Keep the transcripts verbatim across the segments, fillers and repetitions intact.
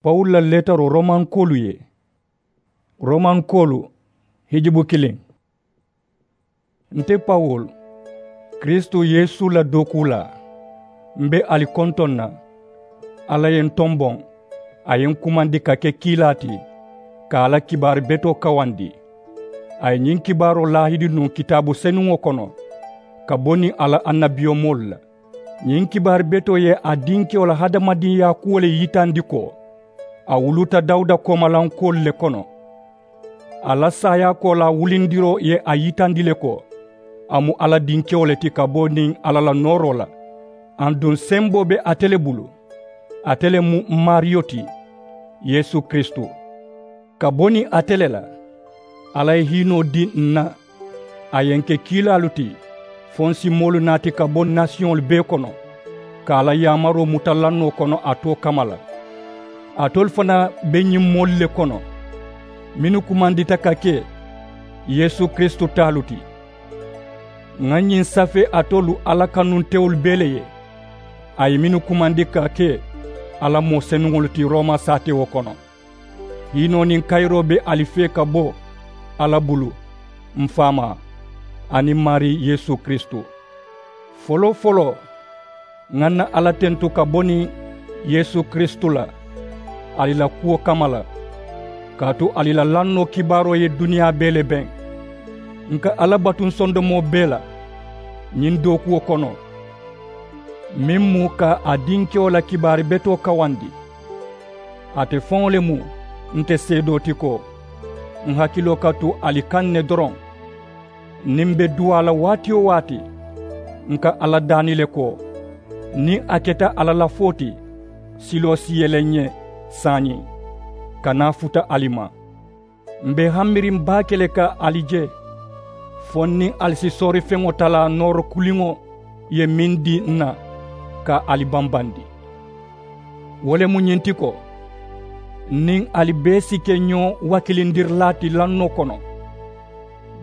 Pawulu la leetaroo romankoolu ye. Romankoolu, hijubu kiliŋ. Nte pawulu, kiristu yeesu la dookuulaa, m be ali kontoŋ na. Alla ye n tomboŋ, a ye n kumandi ka ke kiilaa ti, ka a la kibaari betoo kawandi. A ye ñiŋ kibaaroo laahidi nuŋ kitaabu senuŋo kono, ka bo niŋ a la annabiyomoolu la. Ñiŋ kibaari betoo ye a dinkewo la hadamadiŋyaa kuwo le yitandi ko, a wuluta dawuda koomalankoolu le kono. A la saayaakoolaa wulindiroo ye a yitandi le ko, a mu alla dinkewo le ti ka bo niŋ alla la nooroo la. Aduŋ semboo be ate le bulu. Ate le mu m maariyo ti, yeesu kiristu. Ka bo niŋ ate le la, alla ye hiinoo dii n na. A ye n ke kiilaalu ti, fo n si moolu naati ka bo nasiyoŋolu bee kono, ka a la yaamaroo muta lannoo kono a too kamma la. Alitolu fanaa be ñiŋ moolu le kono, mennu kumandita ka ke yeesu kiristu taalu ti. Ŋà ñiŋ safee alitolu alla kanuntewolu bee le ye, a ye mennu kumandi ka ke alla moo senuŋolu ti rooma saatewo kono. Hiinoo niŋ kayiroo be ali fee ka bo alla bulu, m faamaa, aniŋ maarii yeesu kiristu. Foloo-foloo, ŋà n na alla tentu ka bo niŋ yeesu kiristu la, ali la kuwo kamma la, kaatu ali la lannoo kibaaroo ye duniyaa bee le beŋ. N ka alla batu n sondomoo bee la ñiŋ dookuwo kono, meŋ mu ka a dinkewo la kibaari betoo kawandi. Ate faŋo le mu nte seedoo ti ko, n hakiloo ka tu ali kaŋ ne doroŋ. Niŋ m be duwaa la waati-wo-waati, n ka alla daani le ko, niŋ a keta alla lafoo ti, siloo si yele ǹ ye saayiŋ, ka naa futa ali ma. M be hammiriŋ baake le ka ali je, fo n niŋ ali si soorifeŋo talaa nooro kuliŋo ye meŋ dii n na, ka ali bambandi. Wo le mu ñiŋ ti ko, n niŋ ali bee si ke ñoo wakilindirilaa ti lannoo kono.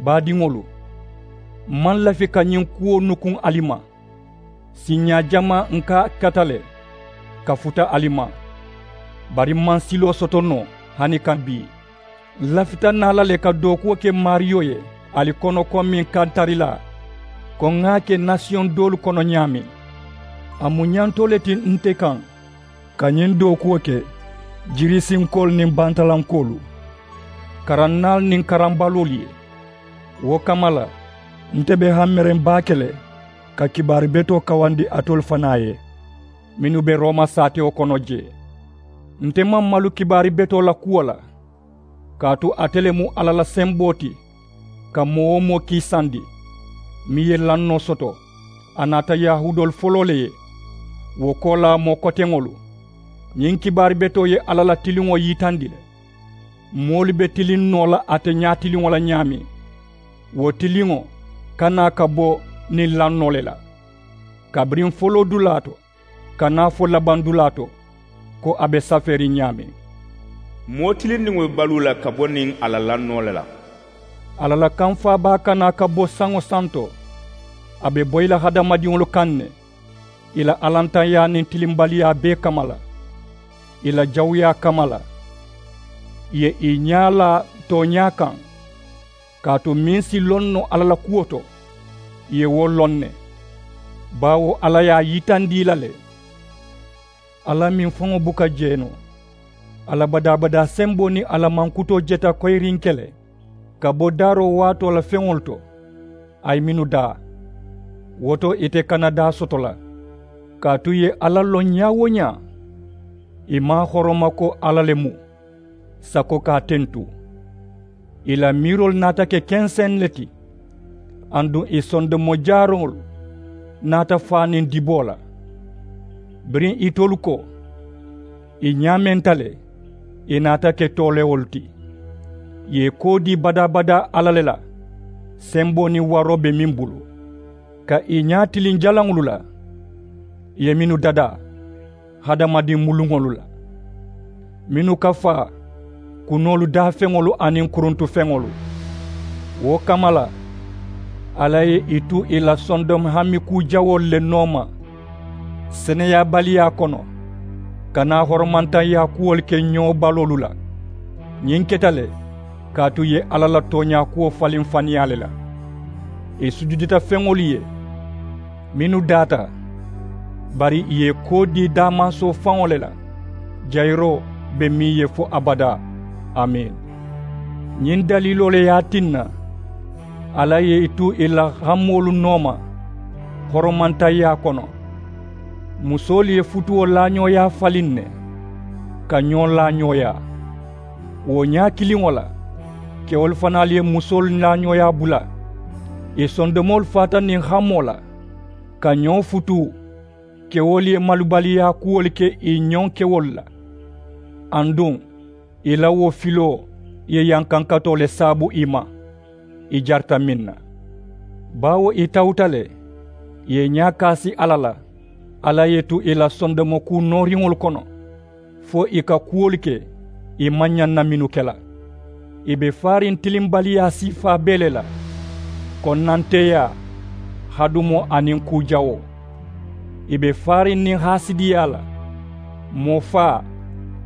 Baadiŋolu, m maŋ lafi ka ñiŋ kuwo nukuŋ ali ma. Siiñaa jamaa n ka a kata le, ka futa ali ma, bari m maŋ siloo soto noo hani ka bii. N lafita naa la le ka dookuwo ke maariyo ye ali kono komiŋ kantarilaa, ko ŋà a ke nasiyoŋ doolu kono ñaameŋ. A mu ñantoo le ti nte kaŋ, ka ñiŋ dookuwo ke jirisinkoolu niŋ bantalankoolu, karannaalu niŋ karambaloolu ye. Wo kamma la, nte be hammiriŋ baake le ka kibaari betoo kawandi alitolu fanaa ye, mennu be rooma saatewo kono jee. Nte maŋ malu kibaari betoo la kuwo la, kaatu ate le mu alla la semboo ti, ka moo-wo-moo kiisandi, meŋ ye lannoo soto. A naata yahuudoolu foloo le ye, wo koolaa moo koteŋolu. Ñiŋ kibaari betoo ye alla la tiliŋo yitandi le. Moolu be tiliŋ noo la ate ñaatiliŋo la ñaameŋ, wo tiliŋo ka naa ka bo niŋ lannoo le la, kabiriŋ foloodulaa to ka naa fo labandulaa to, ko a be safeeriŋ ñaameŋ. Moo tilindiŋo be baluu la ka bo niŋ a la lannoo le la. Alla la kamfaabaa ka naa ka bo saŋo santo, a be boyi la hadamadiŋolu kaŋ ne, ì la allantanyaa niŋ tilimbaliyaa bee kamma la, ì la jawuyaa kamma la. Ì ye ì ñaa laa tooñaa kaŋ, kaatu meŋ si loŋ noo alla la kuwo to, ì ye wo loŋ ne, baawo alla ye a yitandi ì la le. Alla meŋ faŋo buka jee noo, a la badaa-badaa semboo niŋ a la mankutoo jeta koyirinke le, ka bo daaroo waatoo la feŋolu to, a ye mennu daa, wo to ite kana daa soto la. Kaatu ì ye alla loŋ ñaa-wo-ñaa, ì maŋ a horoma ko alla le mu, sako ka a tentu. Ì la miiroolu naata ke kenseŋ le ti, aduŋ ì sondomo jaaroolu naata faa niŋ diboo la. Biriŋ itolu ko, ì ñaamenta le, ì naata ke toolewolu ti. Ì ye koo dii badaa-badaa alla le la, semboo niŋ waroo be meŋ bulu, ka ì ñaa tiliŋ jalaŋolu la, ì ye mennu dadaa hadamadiŋ muluŋolu la, mennu ka faa kunoolu daafeŋolu aniŋ kuruntufeŋolu. Wo kamma la, alla ye ì tu ì la sondomi hami kuu jawoolu le nooma seneyaabaliyaa kono. Kana horomantaŋyaa kuwolu ke ñoo baloolu la. Ñiŋ keta le kaatu ì ye alla la tooñaa kuwo faliŋ faniyaa le la. Ì sujudita feŋolu ye mennu daata, bari ì ye koo dii daamansoo faŋo le la. Jayiroo be meŋ ye fo abadaa. Amiini. Ñiŋ daliiloo le ye a tinna alla ye ì tu ì la hamoolu nooma horomantaŋyaa kono. Musoolu ye futuwo laañooyaa faliŋ ne ka ñoo laañooyaa. Wo ñaa kiliŋo la, kewolu fanaalu ye musoolu laañooyaa bula. Ì sondomoolu faata niŋ hamoo la ka ñoo futuu. Kewolu ye malubaliyaa kuwolu ke ì ñoŋ kewolu la. Aduŋ ì la wo filoo ye yankankatoo le saabu ì ma. Ì jarita meŋ na, baawo ì tawuta le ì ye ñaa kaasi alla la. Alla ye ì tu ì la sondomo kuu nooriŋolu kono fo ì ka kuwolu ke ì maŋ ñaŋ na mennu ke la. Ì be faariŋ tilimbaliyaa siifaa bee le la, konnanteeyaa, hadumoo aniŋ kuu jawoo. Ì be faariŋ niŋ haasidiyaa la, moo faa,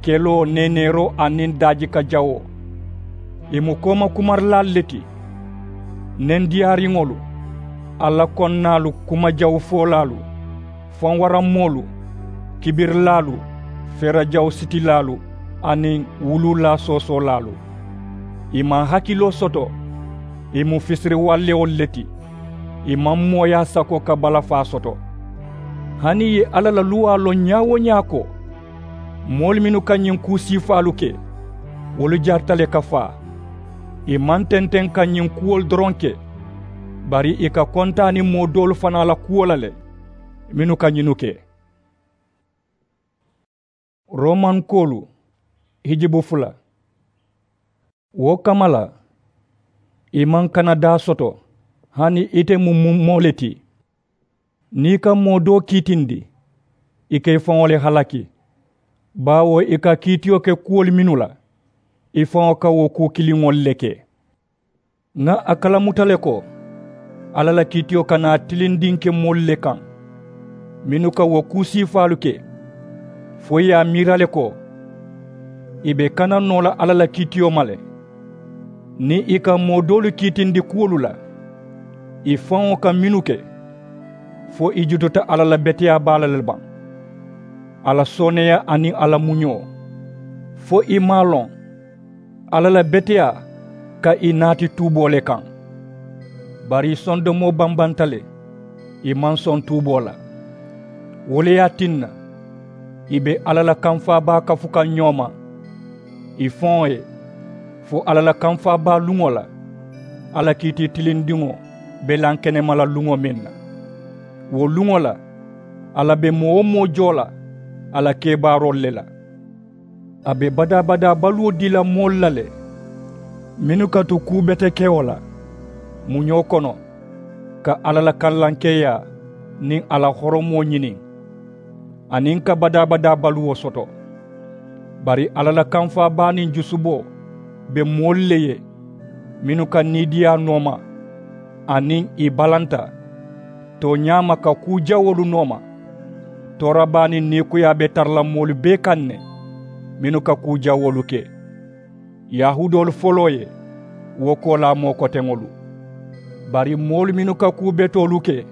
keloo, neeneeroo aniŋ daajika jawoo. Ì mu kooma kumarilaalu le ti, nendiyaariŋolu, alla konnaalu, kuma jawufoolaalu, fanwaranmoolu, kibirilaalu, feerajawusitilaalu aniŋ wuluulaasoosoolaalu. Ì maŋ hakiloo soto. Ì mu fisiriwallewolu le ti. Ì maŋ mooyaa sako ka balafaa soto. Hani ì ye alla la luwaa loŋ ñaa-wo-ñaa ko moolu mennu ka ñiŋ kuu siifaalu ke, wolu jarita le ka faa. Ì maŋ tenteŋ ka ñiŋ kuwolu doroŋ ke, bari ì ka kontaani moo doolu fanaa la kuwo la le mennu ka ñinnu ke. Romankoolu hijibu fula. Wo kamma la, ì maŋ kana daa soto. Hani ite mu moo le ti, niŋ ì ka moo doo kiitindi, ì ka ì faŋo le halaki. Baawo ì ka kiitiyo ke kuwolu mennu la, ì faŋo ka wo kuu kiliŋolu le ke. Ŋà a kalamuta le ko alla la kiitiyo kana tilindiŋ ke moolu le kaŋ mennu ka wo kuu siifaalu ke, fo ì ye a miira le ko ì be kana noo la alla la kiitiyo ma le. Niŋ ì ka moo doolu kiitindi kuwolu la, ì faŋo ka mennu ke, fo ì jututa alla la beteyaa baa la le baŋ, a la sooneeyaa aniŋ a la muñoo, fo ì maŋ a loŋ alla la beteyaa ka ì naati tuuboo le kaŋ. Bari ì sondomoo bambanta le, ì maŋ soŋ tuuboo la. Wo le ye a tinna ì be alla la kamfaa baa kafu kaŋ ñoo ma ì faŋo ye, fo alla la kamfaa baa luŋo la, alla kiiti tilindiŋo be lankenema la luŋo meŋ na. Wo luŋo la, alla be moo-wo-moo joo la a la kebaaroolu le la. A be badaa-badaa baluwo dii la moolu la le mennu ka tu kuu betekewo la muñoo kono, ka alla la kallankeeyaa niŋ a la horomoo ñiniŋ, aniŋ ka badaa-badaa baluwo soto. Bari alla la kamfaa baa niŋ jusuboo be moolu le ye mennu ka niidiyaa nooma, aniŋ ì balanta tooñaa ma ka kuu jawoolu nooma. Toora baa niŋ niikuyaa be tara la moolu bee kaŋ ne mennu ka kuu jawoolu ke. Yahuudoolu foloo ye wo koolaa moo koteŋolu. Bari moolu mennu ka kuu betoolu ke,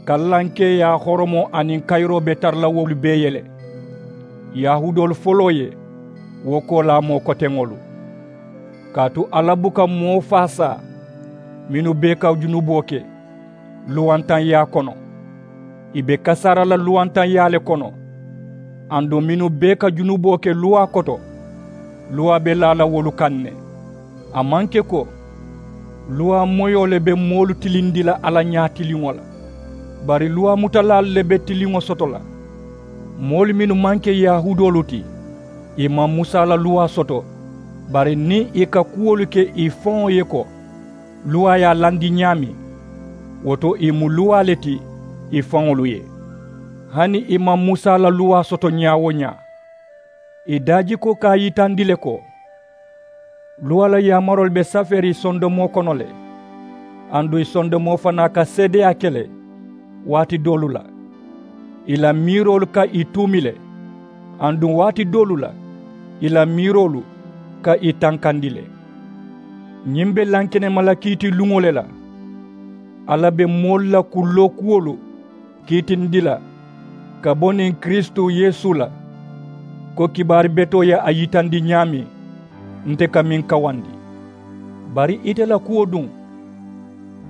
kallankeeyaa horomoo aniŋ kayiroo be tara la wolu bee ye le. Yahuudoolu foloo ye wo koolaa moo koteŋolu. Kaatu alla buka moo faasaa mennu bee ka junuboo ke luwantanyaa kono. Ì be kasaara la luwantanyaa le kono. Aduŋ mennu bee ka junuboo ke luwaa koto, luwaa be laa la wolu kaŋ ne. A maŋ ke ko luwaa moyoo le be moolu tilindi la alla ñaa tiliŋo la, bari luwaa mutalaalu le be tiliŋo soto la. Moolu mennu maŋ ke yahuudoolu ti, ì maŋ musa la luwaa soto. Bari niŋ ì ka kuwolu ke ì faŋo ye ko luwaa ye a landi ñaameŋ, wo to ì mu luwaa le ti ì faŋolu ye. Hani ì maŋ musa la luwaa soto ñaa-wo-ñaa, ì daajikoo ka a yitandi le ko luwaa la yaamaroolu be safeeriŋ ì sondomoo kono le. Aduŋ ì sondomoo fanaa ka seedeyaa ke le waati doolu la, ì la miiroolu ka ì tuumi le. Aduŋ waati doolu la ì la miiroolu ka ì tankandi le. Ñiŋ be lankenema la kiiti luŋo le la. Alla be moolu la kulloo kuwolu kiitindi la ka bo niŋ kiristu yeesu la, ko kibaari betoo ye a yitandi ñaameŋ nte ka meŋ kawandi. Bari ite la kuwo duŋ,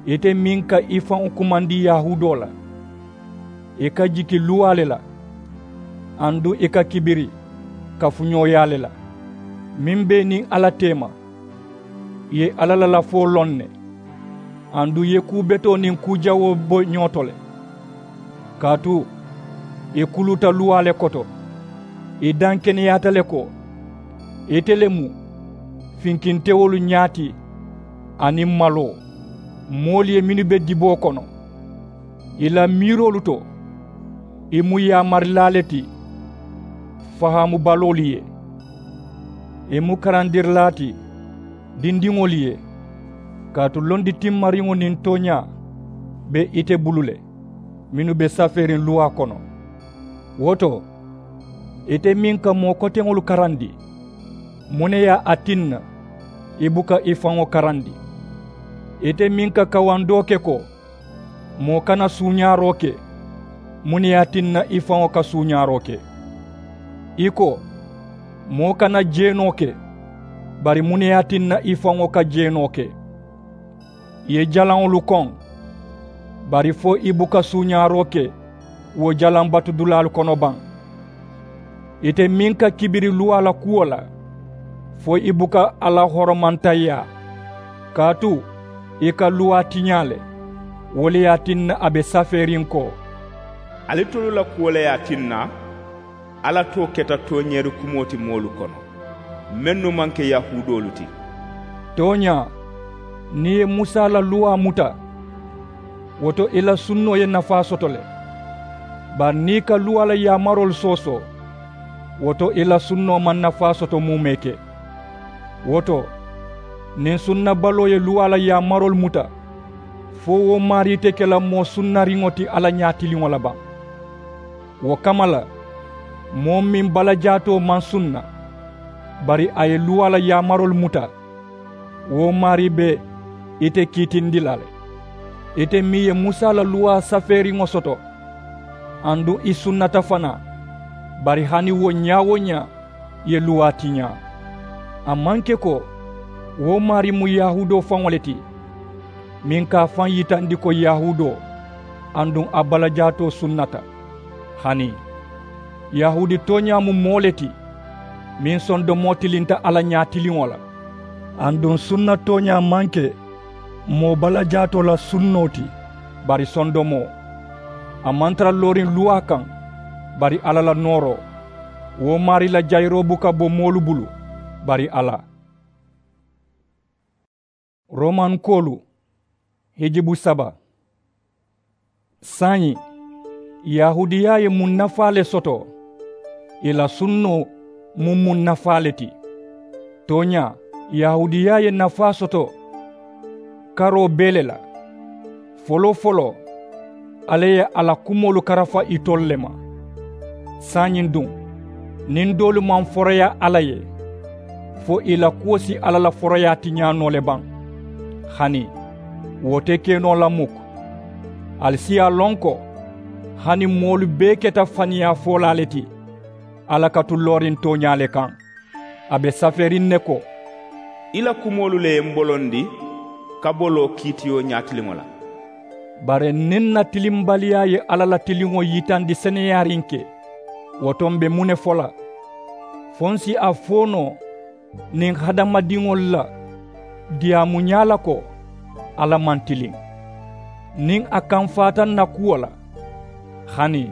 ite meŋ ka i faŋo kumandi yahuudoo la, i ka jiki luwaa le la, aduŋ i ka kibiri kafuñooyaa le la, meŋ be i niŋ alla teema. I ye alla la lafoo loŋ ne, aduŋ i ye kuu betoo niŋ kuu jawoo bo ñoo to le. Kaatu i kuluta luwaa le koto, i daŋ keneyaata le ko ite le mu finkintewolu ñaa ti, aniŋ maloo moolu ye mennu be diboo kono. I la miiroolu to i mu yaamarilaa le ti, fahaamubaloolu ye. I mu karandirilaa ti dindiŋolu ye, kaatu londi timmariŋo niŋ tooñaa be ite bulu le, mennu be safeeriŋ luwaa kono. Wo to, ite meŋ ka moo koteŋolu karandi, muŋ ne ye a tinna i buka i faŋo karandi? Ite meŋ ka kawandoo ke ko moo kana suuñaaroo ke, muŋ ne ye a tinna i faŋo ka suuñaaroo ke? I ko moo kana jeenoo ke, bari muŋ ne ye a tinna i faŋo ka jeenoo ke? I ye jalaŋolu koŋ, bari fo i buka suuñaaroo ke wo jalaŋ batudulaalu kono baŋ? Ite meŋ ka kibiri luwaa la kuwo la, fo i buka alla horomantayiyaa? Kaatu i ka luwaa tiñaa le. Wo le ye a tinna a be safeeriŋ ko, alitolu la kuwo le ye a tinna alla too keta tooñeeri kumoo ti moolu kono, mennu maŋ ke yahuudoolu ti. Tooñaa, niŋ i ye musa la luwaa muta, wo to i la sunnoo ye nafaa soto le. Bari niŋ i ka luwaa la yaamaroolu soosoo, wo to i la sunnoo maŋ nafaa soto muumee ke. Wo to, niŋ sunnabaloo ye luwaa la yaamaroolu muta, fo wo maarii te ke la moo sunnariŋo ti alla ñaatiliŋo la baŋ? Wo kamma la, moo meŋ balajaatoo maŋ sunna, bari a ye luwaa la yaamaroolu muta, wo maarii be ite kiitindi la le. Ite meŋ ye musa la luwaa safeeriŋo soto, aduŋ i sunnata fanaa, bari hani wo ñaa-wo-ñaa i ye luwaa tiñaa. A maŋ ke ko wo maarii mu yahuudoo faŋo le ti, meŋ ka a faŋ yitandi ko yahuudoo, aduŋ a balajaatoo sunnata. Hani yahuudi tooñaa mu moo le ti, meŋ sondomoo tilinta alla ñaatiliŋo la. Aduŋ sunna tooñaa maŋ ke moo balajaatoo la sunnoo ti, bari sondomoo. A maŋ tara looriŋ luwaa kaŋ, bari alla la nooroo. Wo maarii la jayiroo buka bo moolu bulu, bari alla. Romankoolu hijibu saba. Saayiŋ, yahuudiyaa ye muŋ nafaa le soto? Ì la sunnoo mu muŋ nafaa le ti? Tooñaa, yahuudiyaa ye nafaa soto karoo bee le la. Foloo-foloo, alla ye a la kumoolu karafa itolu le ma. Saayiŋ duŋ, niŋ doolu maŋ foroyaa alla ye, fo ì la kuwo si alla la foroyaa tiñaa noo le baŋ? Hani wo te ke noo la muk. Ali si a loŋ ko hani moolu bee keta faniyaa foolaa le ti, alla ka tu looriŋ tooñaa le kaŋ. A be safeeriŋ ne ko, i la kumoolu le ye m bolondi ka bo loo kiitiyo ñaatiliŋo la. Bari niŋ n na tilimbaliyaa ye alla la tiliŋo yitandi seneyaariŋ ke, wo to m be muŋ ne fo la? Fo n si a fo noo niŋ hadamadiŋolu la diyaamuñaa la ko alla maŋ tiliŋ, niŋ a kamfaata n na kuwo la? Hani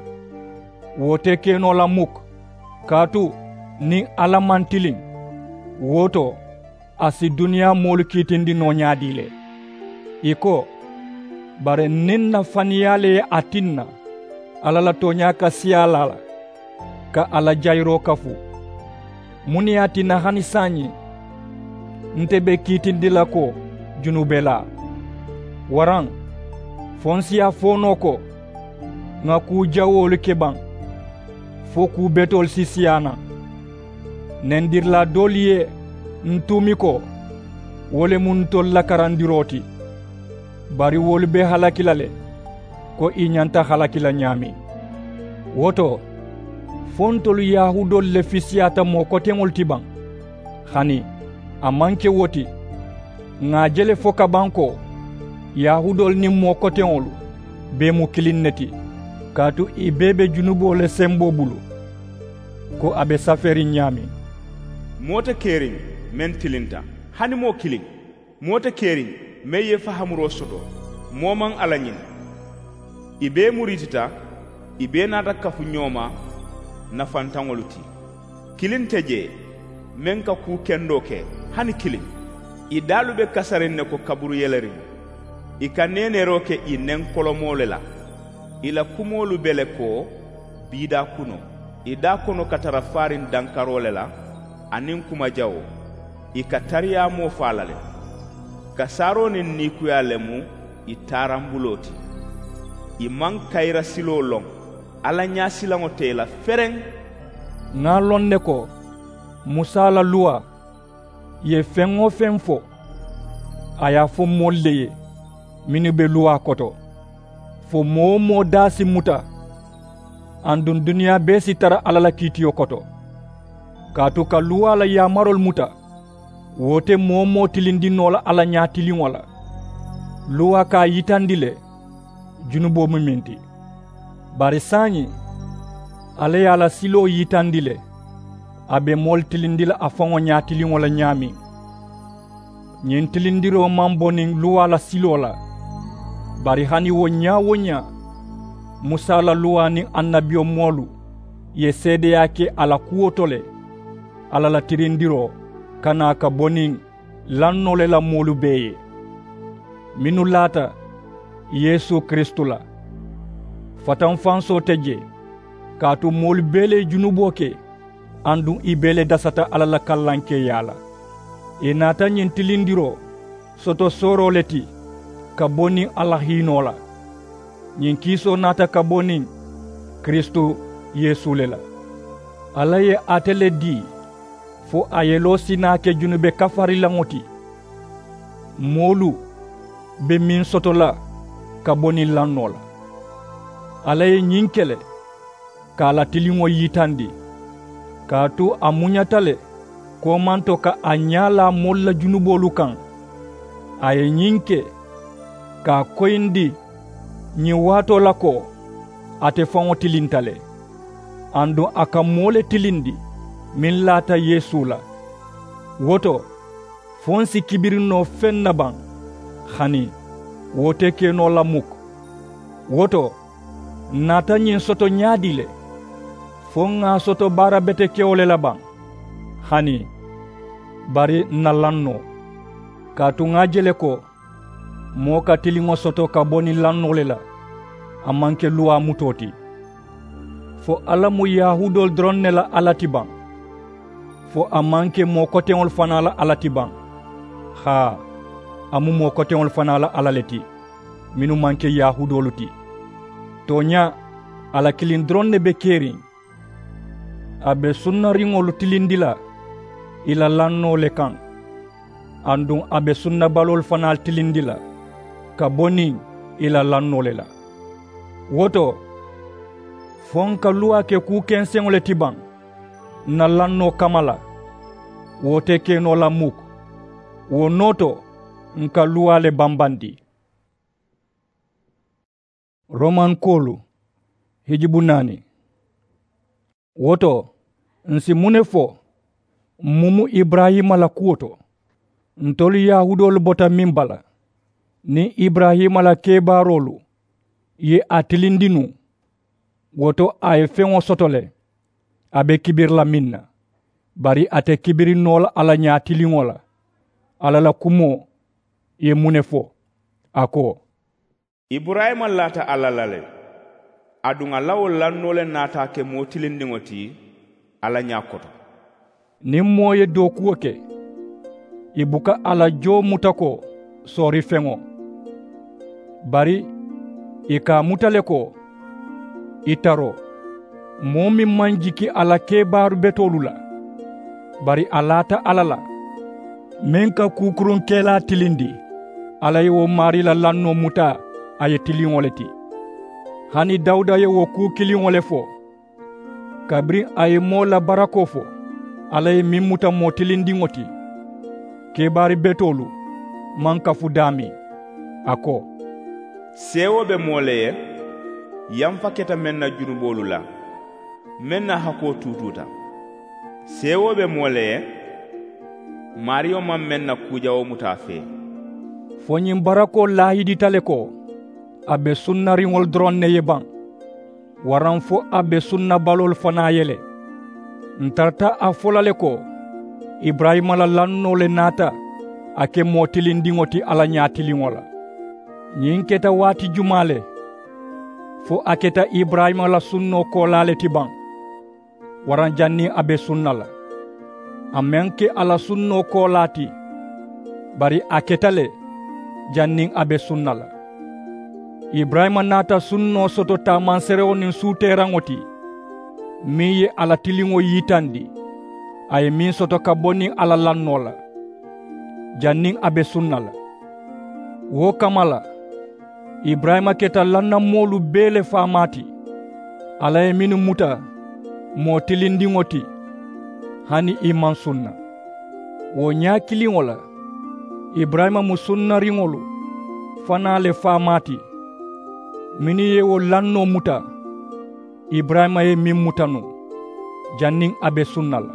wo te ke noo la muk. Kaatu niŋ alla maŋ tiliŋ, wo to a si duniyaa moolu kiitindi noo ñaadii le? Ì ko, bari niŋ n na faniyaa le ye a tinna alla la tooñaa ka siyaa la a la, ka a la jayiroo kafu, muŋ ne ye a tinna hani saayiŋ nte be kiitindi la ko junubelaa? Waraŋ fo n si a fo noo ko ŋà kuu jawoolu ke baŋ? fo kuu betoolu si siyaa naŋ. Nendirilaa doolu ye ǹ tuumi ko wo le mu ntolu la karandiroo ti. Bari wolu be halaki la le ko ì ñanta halaki la ñaameŋ. Wo to fo ntolu yahuudoolu le fisiyaata moo koteŋolu ti baŋ? Hani a maŋ ke wo ti. Ŋà a je le fo ka baŋ ko yahuudoolu niŋ moo koteŋolu bee mu kiliŋ ne ti. Kaatu ì bee be junuboo le semboo bulu ko a be safeeriŋ ñaameŋ. Moo te keriŋ meŋ tilinta, hani moo kiliŋ. Moo te keriŋ meŋ ye fahamuroo soto. Moo maŋ a la ñini. Ì bee muriitita. Ì bee naata kafu ñoo ma nafantaŋolu ti. Kiliŋ te jee meŋ ka kuu kendoo ke, hani kiliŋ. Ì daalu be kasariŋ ne ko kaburuyeleriŋ. Ì ka neeneeroo ke ì neŋ kolomoo le la. Ì la kumoolu be le ko biidaa kunoo. Ì daakono ka tara faariŋ dankaroo le la aniŋ kumajawoo. Ì ka tariyaamoo faa la le. Kasaaroo niŋ niikuyaa le mu ì taarambuloo ti. Ì maŋ kayira siloo loŋ. Alla ñaasilaŋo te ì la fereŋ. Ŋà a loŋ ne ko musa la luwaa ye feŋ-wo-feŋ fo a ye a fo moolu le ye mennu be luwaa koto, fo moo-wo-moo daa si muta aduŋ duniyaa bee si tara alla la kiitiyo koto. Kaatu ka luwaa la yaamaroolu muta wo te moo-wo-moo tilinndi noo la a la ñaatiliŋo la. Luwaa ka a yitandi le junuboo mu meŋ ti. Bari saayiŋ alla ye a la siloo yitandi le a be moolu tilinndi la a faŋo ñaatiliŋo la ñaameŋ. Ñiŋ tilindiroo maŋ bo niŋ luwaa la siloo la. Bari hani wo ñaa-wo-ñaa musa la luwaa niŋ annabiyomoolu ye seedeyaa ke a la kuwo to le. Alla la tilindiroo ka naa ka bo niŋ lannoo le la moolu bee ye mennu laata yeesu kiristu la. Fatanfansoo te jee kaatu moolu bee le ye junuboo ke aduŋ ì bee le dasata alla la kallankeeyaa la. Ì naata ñiŋ tilindiroo soto sooroo le ti ka bo niŋ alla hiinoo la. Ñiŋ kiisoo naata ka bo niŋ kiristu yeesu le la. Alla ye ate le dii fo a yeloo si naa ke junube kafarilaŋo ti moolu be meŋ soto la ka bo niŋ lannoo la. Alla ye ñiŋ ke le ka a la tiliŋo yitandi kaatu a muñata le koomanto ka a ñaa laa moolu la junuboolu kaŋ. A ye ñiŋ ke ka a koyindi ñiŋ waatoo la ko ate faŋo tilinta le aduŋ a ka moo le tilindi meŋ laata yeesu la. Wo to fo ǹ si kibiri noo feŋ na baŋ? Hani wo te ke noo la muk. Wo to ǹ naata ñiŋ soto ñaadii le? Fo ŋà a soto baara betekewo le la baŋ? Hani bari ǹ na laŋ noo kaatu ŋà a je le ko moo ka tiliŋo soto ka bo niŋ lannoo le la a maŋ ke luwaa mutoo ti. Fo alla mu yahuudoolu doroŋ ne la alla ti baŋ? Fo a maŋ ke moo koteŋolu fanaa la alla ti baŋ? Haa, a mu moo koteŋolu fanaa la alla le ti mennu maŋ ke yahuudoolu ti. Tooñaa, alla kiliŋ doroŋ ne be keriŋ. A be sunnariŋolu tilindi la ì la lannoo le kaŋ aduŋ a be sunnabaloolu fanaalu tilindi la ka bo niŋ ì la lannoo le la. Wo to fo ǹ ka luwaa ke kuu kenseŋo le ti baŋ ǹ na lannoo kamma la? Wo te ke noo la muk. Wo noo to ǹ ka luwaa le bambandi. Romankoolu hijubu naani. Wo to ǹ si muŋ ne fo? M̀ mu mu iburayima la kuwo to. Ntolu yahuudoolu bota meŋ bala niŋ iburayima la kebaaroolu ye a tilindi nuŋ. Wo to a ye feŋo soto le a be kibiri la meŋ na. Bari a te kibiri noo la a la ñaatiliŋo la. Alla la kumoo ye muŋ ne fo? A ko, iburayima laata alla la le aduŋ a la wo lannoo le naata a ke moo tilindiŋo ti alla ñaa koto. Niŋ moo ye dookuwo ke ì buka a la joo muta ko soorifeŋo. Bari ì ka a muta le ko ì taroo. Moo meŋ maŋ jiki a la kebaaru betoolu la, bari a laata alla la, meŋ ka kuukuruŋ kelaa tilindi. Alla ye wo maarii la lannoo muta a ye tiliŋo le ti. Hani dawuda ye wo kuu kiliŋo le fo. Kabiriŋ a ye moo la barakoo fo, alla ye meŋ muta moo tilindiŋo ti, kebaari betoolu maŋ kafu daameŋ. A ko, seewoo be moo le ye, yamfa keta meŋ na junuboolu la, meŋ na hakoo tuutuuta. Seewoo be moo le ye, maariyo maŋ meŋ na kuu jawoo muta a fee. Fo ñiŋ barakoo laahidita le ko a be sunnariŋolu doroŋ ne ye baŋ, waraŋ fo a be sunnabaloolu fanaa ye le. Ǹ tarata a fo la le ko, iburayima la lannoo le naata a ke moo tilindiŋo ti alla ñaatiliŋo la. Ñiŋ keta waati jumaa le? Fo a keta iburayima la sunnoo koolaa le ti baŋ, waraŋ janniŋ a be sunna la? A maŋ ke a la sunnoo koolaa ti, bari a keta le janniŋ a be sunna la. Iburayima naata sunnoo soto taamanserewo niŋ suuteeraŋo ti, meŋ ye a la tiliŋo yitandi, a ye meŋ soto ka bo niŋ a la lannoo la, janniŋ a be sunna la. Wo kamma la, iburayima keta lannamoolu bee le faamaa ti, alla ye mennu muta moo tilindiŋo ti, hani ì maŋ sunna. Wo ñaa kiliŋo la, iburayima mu sunnariŋolu fanaa le faamaa ti, mennu ye wo lannoo muta, iburayima ye meŋ muta nuŋ, janniŋ a be sunna la.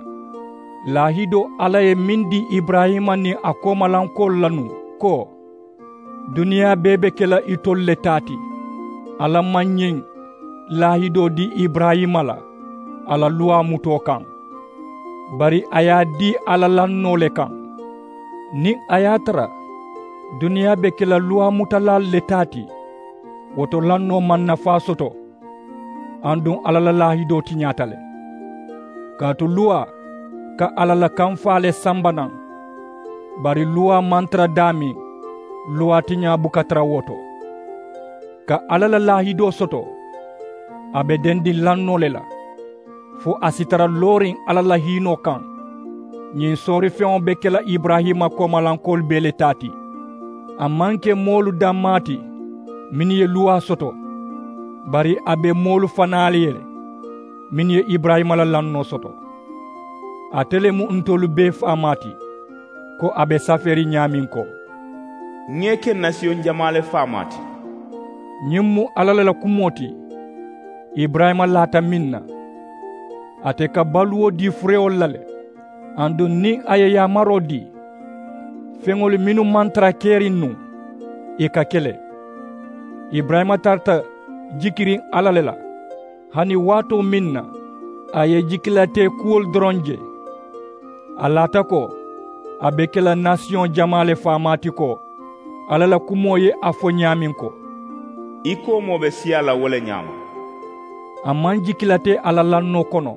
Laahidoo alla ye meŋ dii iburayima niŋ a koomalankoolu la nuŋ, ko, duniyaa bee be ke la itolu le taa ti. Alla maŋ ñiŋ laahidoo dii iburayima la a la luwaa mutoo kaŋ, bari a ye a dii a la lannoo le kaŋ. Niŋ a ye a tara duniyaa be ke la luwaa mutalaalu le taa ti, wo to lannoo maŋ nafaa soto. Aduŋ alla la laahidoo tiñaata le, kaatu luwaa ka alla la kamfaa le samba naŋ. Bari luwaa maŋ tara daameŋ, luwaa tiñaa buka tara wo to. Ka alla la laahidoo soto, a be dendiŋ lannoo le la, fo a si tara looriŋ alla la hiinoo kaŋ. Ñiŋ soorifeŋo be ke la iburayima koomalankoolu bee le taa ti. A maŋ ke moolu dammaa ti mennu ye luwaa soto, bari a be moolu fanaa le ye le mennu ye iburayima la lannoo soto. Ate le mu ntolu bee faamaa ti, ko a be safeeriŋ ñaameŋ ko, ŋa ì ke nasiyoŋ jamaa le faamaa ti. Ñiŋ mu alla le la kumoo ti. Iburayima laata meŋ na, ate ka baluwo dii furewolu la le. Aduŋ niŋ a ye yaamaroo dii, feŋolu mennu maŋ tara keriŋ nuŋ, ì ka ke le. Iburayima tarata jikiriŋ alla le la, hani waatoo meŋ na a ye jikilatee kuwolu doroŋ je. A laata ko a be ke la nasiyoŋ jamaa le faamaa ti, ko alla la kumoo ye a fo ñaameŋ ko, i koomoo be siyaa la wo le ñaama. A maŋ jikilatee a la lannoo kono,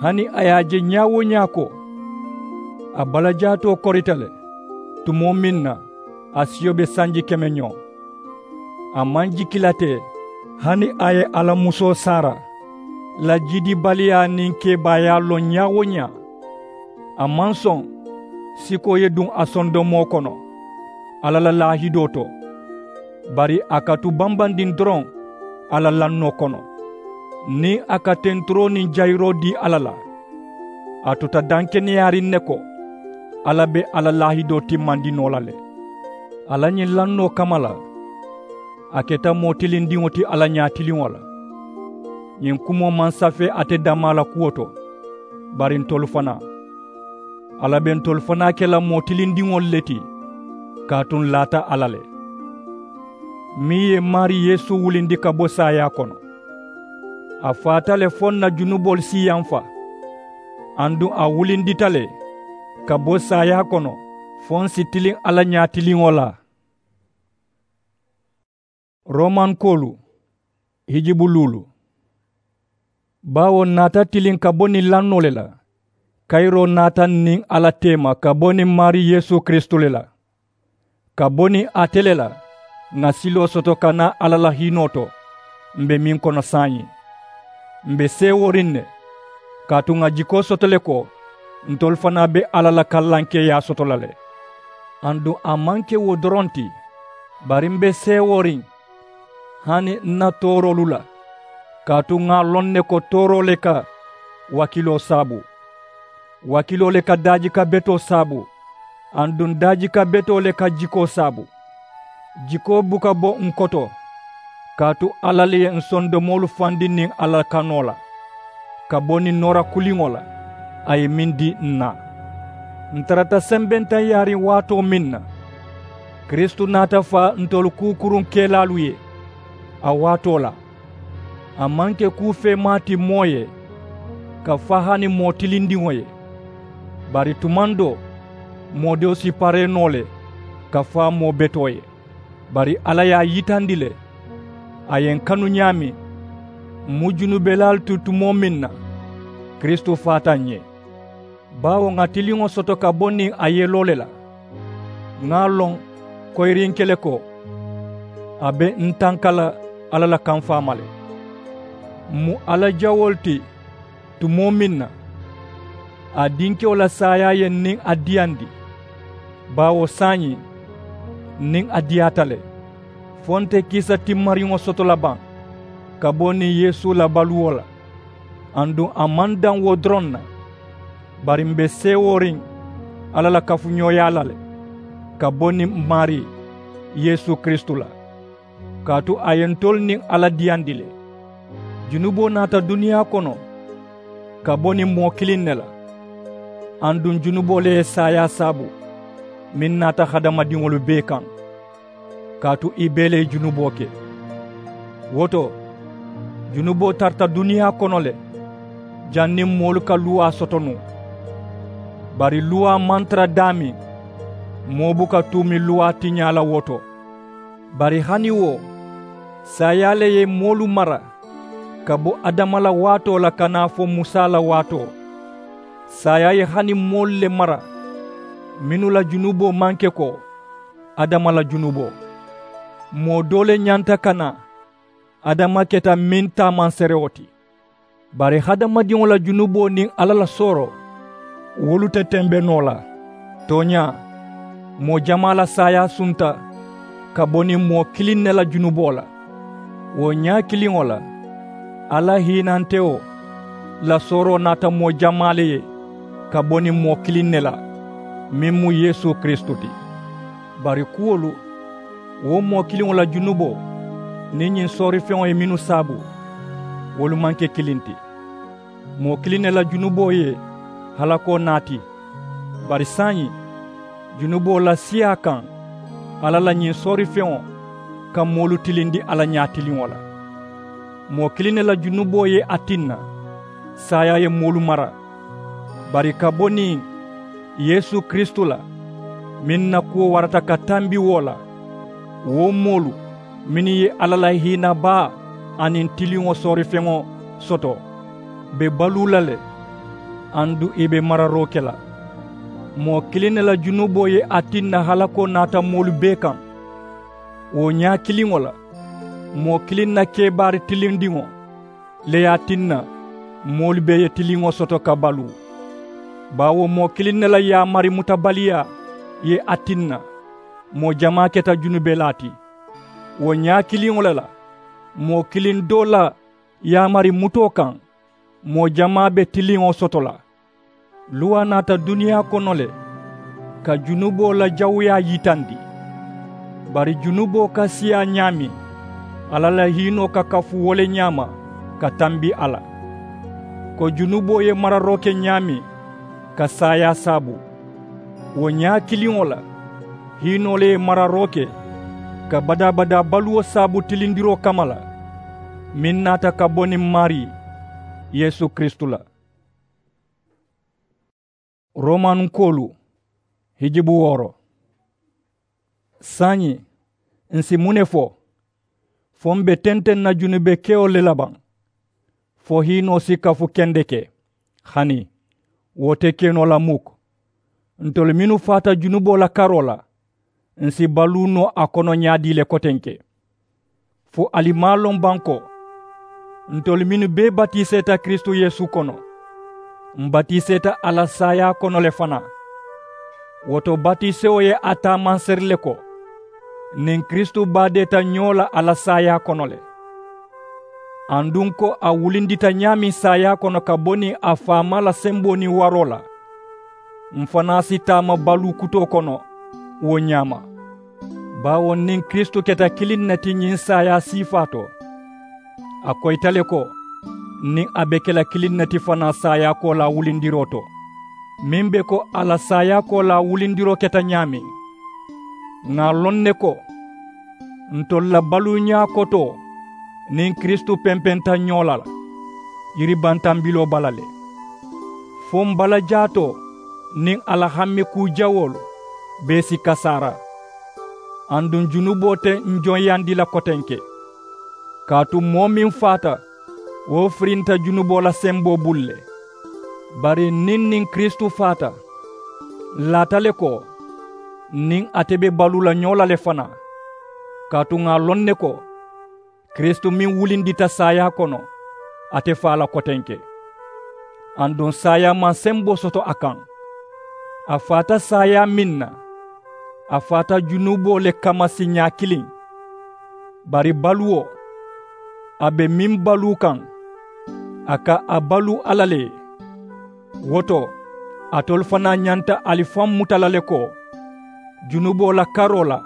hani a ye a je ñaa-wo-ñaa ko a balajaatoo korita le, tumoo meŋ na a siyo be sanji keme ñoo. A maŋ jikilate hani a ye a la musoo saara la jidibaliyaa niŋ kebaayaa loŋ ñaa-wo-ñaa. A maŋ soŋ sikoo ye duŋ a sondomoo kono alla la laahidoo to, bari a ka tu bambandiŋ doroŋ a la lannoo kono. Niŋ a ka tenturoo niŋ jayiroo dii alla la, a tuta dankeneyaariŋ ne ko alla be a la laahidoo timmandi noo la le. A la ñiŋ lannoo kamma la, a keta moo tilindiŋo ti alla ñaatiliŋo la. Ñiŋ kumoo maŋ safee ate dammaa la kuwo to, bari ntolu fanaa, alla be ntolu fanaa ke la moo tilindiŋolu le ti, kaatu ǹ laata alla le, meŋ ye maarii yeesu wulindi ka bo saayaa kono. A faata le fo ǹ na junuboolu si yamfa, aduŋ a wulindita le ka bo saayaa kono fo ǹ si tiliŋ alla ñaatiliŋo la. Romankoolu hijibu luulu. Baawo ǹ naata tiliŋ ka bo niŋ lannoo le la, kayiroo naata ǹ niŋ alla teema ka bo niŋ maarii yeesu kiristu le la. Ka bo niŋ ate le la ŋà siloo soto ka naa alla la hiinoo to m̀ be meŋ kono saayiŋ. M be seewooriŋ ne, kaatu ŋà jikoo soto le ko ntolu fanaa be alla la kallankeeyaa soto la le. Aduŋ a maŋ ke wo doroŋ ti, bari m be seewooriŋ hani n na tooroolu la, kaatu ŋà a loŋ ne ko tooroo le ka wakiloo saabu, wakiloo le ka daajika betoo saabu, aduŋ daajika betoo le ka jikoo saabu. Jikoo buka bo n koto, kaatu alla le ye n sondomoolu fandi niŋ alla la kanoo la, ka bo niŋ noora kuliŋo la a ye meŋ dii n na. N tarata sembentaŋ yaariŋ waatoo meŋ na, kiristu naata faa ntolu kuukuruŋ kelaalu ye. A waatoo la a maŋ ke kuu feemaa ti moo ye ka faa hani moo tilindiŋo ye. Bari tumaŋ doo moo doo si paree noo le ka faa moo betoo ye. Bari alla ye a yitandi le a ye n kanu ñaameŋ, m mu junubelaalu ti tumoo meŋ na, kiristu faata ǹ ye. Baawo ŋà tiliŋo soto ka bo niŋ a yeloo le la. Ŋà a loŋ koyiriŋ kele ko a be n tanka la alla la kamfaama le. M mu alla jawoolu ti tumoo meŋ na, a dinkewo la saayaa ye n niŋ a diyandi. Baawo saayiŋ n niŋ a diyaata le, fo nte kiisa timmariŋo soto la baŋ ka bo niŋ yeesu la baluwo la. Aduŋ a maŋ daŋ wo doroŋ na, bari m be seewooriŋ alla la kafuñooyaa la le ka bo niŋ m maarii yeesu kiristu la. Kaatu a ye ntolu niŋ alla diyandi le. Junuboo naata duniyaa kono ka bo niŋ moo kiliŋ ne la, aduŋ junuboo le ye saayaa saabu meŋ naata hadamadiŋolu bee kaŋ, kaatu ì bee le ye junuboo ke. Wo to, junuboo tarata duniyaa kono le janniŋ moolu ka luwaa soto nuŋ. Bari luwaa maŋ tara daameŋ, moo buka tuumi luwaa tiñaa la wo to. Bari hani wo saayaa le ye moolu mara ka bo adama la waatoo la ka naa fo musa la waatoo. Saayaa ye hani moolu le mara mennu la junuboo maŋ ke ko adama la junuboo. Moo doo le ñanta ka naa, adama keta meŋ taamanserewo ti. Bari hadamadiŋo la junuboo niŋ alla la sooroo wolu te tembe noo la. Tooñaa, moo jamaa la saayaa sunta ka bo niŋ moo kiliŋ ne la junuboo la. Wo ñaa kiliŋo la alla hiinantewo la sooroo naata moo jamaa le ye ka bo niŋ moo kiliŋ ne la, meŋ mu yeesu kiristu ti. Bari kuwolu, wo moo kiliŋo la junuboo niŋ ñiŋ soorifeŋo ye mennu saabu, wolu maŋ ke kiliŋ ti. Moo kiliŋ ne la junuboo ye halakoo naati. Bari saayiŋ, junuboo la siyaa kaŋ alla la ñiŋ soorifeŋo ka moolu tilindi alla ñaatiliŋo la. Moo kiliŋ ne la junuboo ye a tinna saayaa ye moolu mara. Bari ka bo niŋ yeesu kiristu la, meŋ na kuwo warata ka tambi wo la, wo moolu mennu ye alla la hiinabaa aniŋ tiliŋo soorifeŋo soto be baluu la le, aduŋ ì be mararoo ke la. Moo kiliŋ ne la junuboo ye a tinna halakoo naata moolu bee kaŋ. Wo ñaa kiliŋo la, moo kiliŋ na kebaari tilindiŋo le ye a tinna moolu bee ye tiliŋo soto ka baluu. Baawo moo kiliŋ ne la yaamari mutabaliyaa ye a tinna moo jamaa keta junubelaa ti. Wo ñaa kiliŋo le la, moo kiliŋ doo la yaamari mutoo kaŋ, moo jamaa be tiliŋo soto la. Luwaa naata duniyaa kono le ka junuboo la jawuyaa yitandi. Bari junuboo ka siyaa ñaameŋ, alla la hiinoo ka kafu wo le ñaama ka tambi a la. Ko junuboo ye mararoo ke ñaameŋ ka saayaa saabu, wo ñaa kiliŋo la hiinoo le ye mararoo ke ka badaa-badaa baluwo saabu tilindiroo kamma la, meŋ naata ka bo niŋ maarii yeesu kiristu la. Romanunkoolu, hijibu wooro. Saayiŋ, ǹ si muŋ ne fo? Fo m be tenteŋ na junube kewolu le la baŋ? Fo hiinoo si kafu kendeke? Hani, wo te ke noo la muk. Ntolu mennu faata junuboo la karoo la, ǹ si baluu noo a kono ñaadii le kotenke? Fo ali maŋ a loŋ baŋ ko Ntolu mennu bee batiiseeta kiristu yeesu kono, m batiiseeta a la saayaa kono le fanaa. Wo to batiisewo ye a taamanseeri le ko niŋ kiristu baadeeta ñoo la a la saayaa kono le. Aduŋ ko a wulindita ñaameŋ saayaa kono ka bo niŋ a faamaa la semboo niŋ waroo la, m fanaa si taama baluu kutoo kono wo ñaama. Baawo niŋ kiristu keta kiliŋ ne ti ñiŋ saayaa siifaa to, a koyita le ko niŋ a be ke la kiliŋ ne ti fanaa saayaa koolaa wulindiroo to, meŋ be ko a la saayaa koolaa wulindiroo keta ñaameŋ. Ŋà a loŋ ne ko ntolu la baluuñaa kotoo niŋ kiristu pempenta ñoo la la yiribantambiloo bala le. Fo m balajaatoo niŋ a la hamme kuu jawoolu bee si kasaara. Aduŋ junuboo te n joŋ yandi la kotenke. Kaatu moo meŋ faata, wo firinta junuboo la semboo bulu le. Bari niŋ niŋ kiristu faata, n laata le ko niŋ ate be baluu la ñoo la le fanaa. Kaatu ŋà a loŋ ne ko kiristu meŋ wulindita saayaa kono, ate faa la kotenke. Aduŋ saayaa maŋ semboo soto a kaŋ. A faata saayaa meŋ na, a faata junuboo le kamma siiñaa kiliŋ. Bari baluwo, a be meŋ baluu kaŋ, a ka a baluu alla le ye. Wo to, alitolu fanaa ñanta ali faŋ muta la le ko junuboo la karoo la,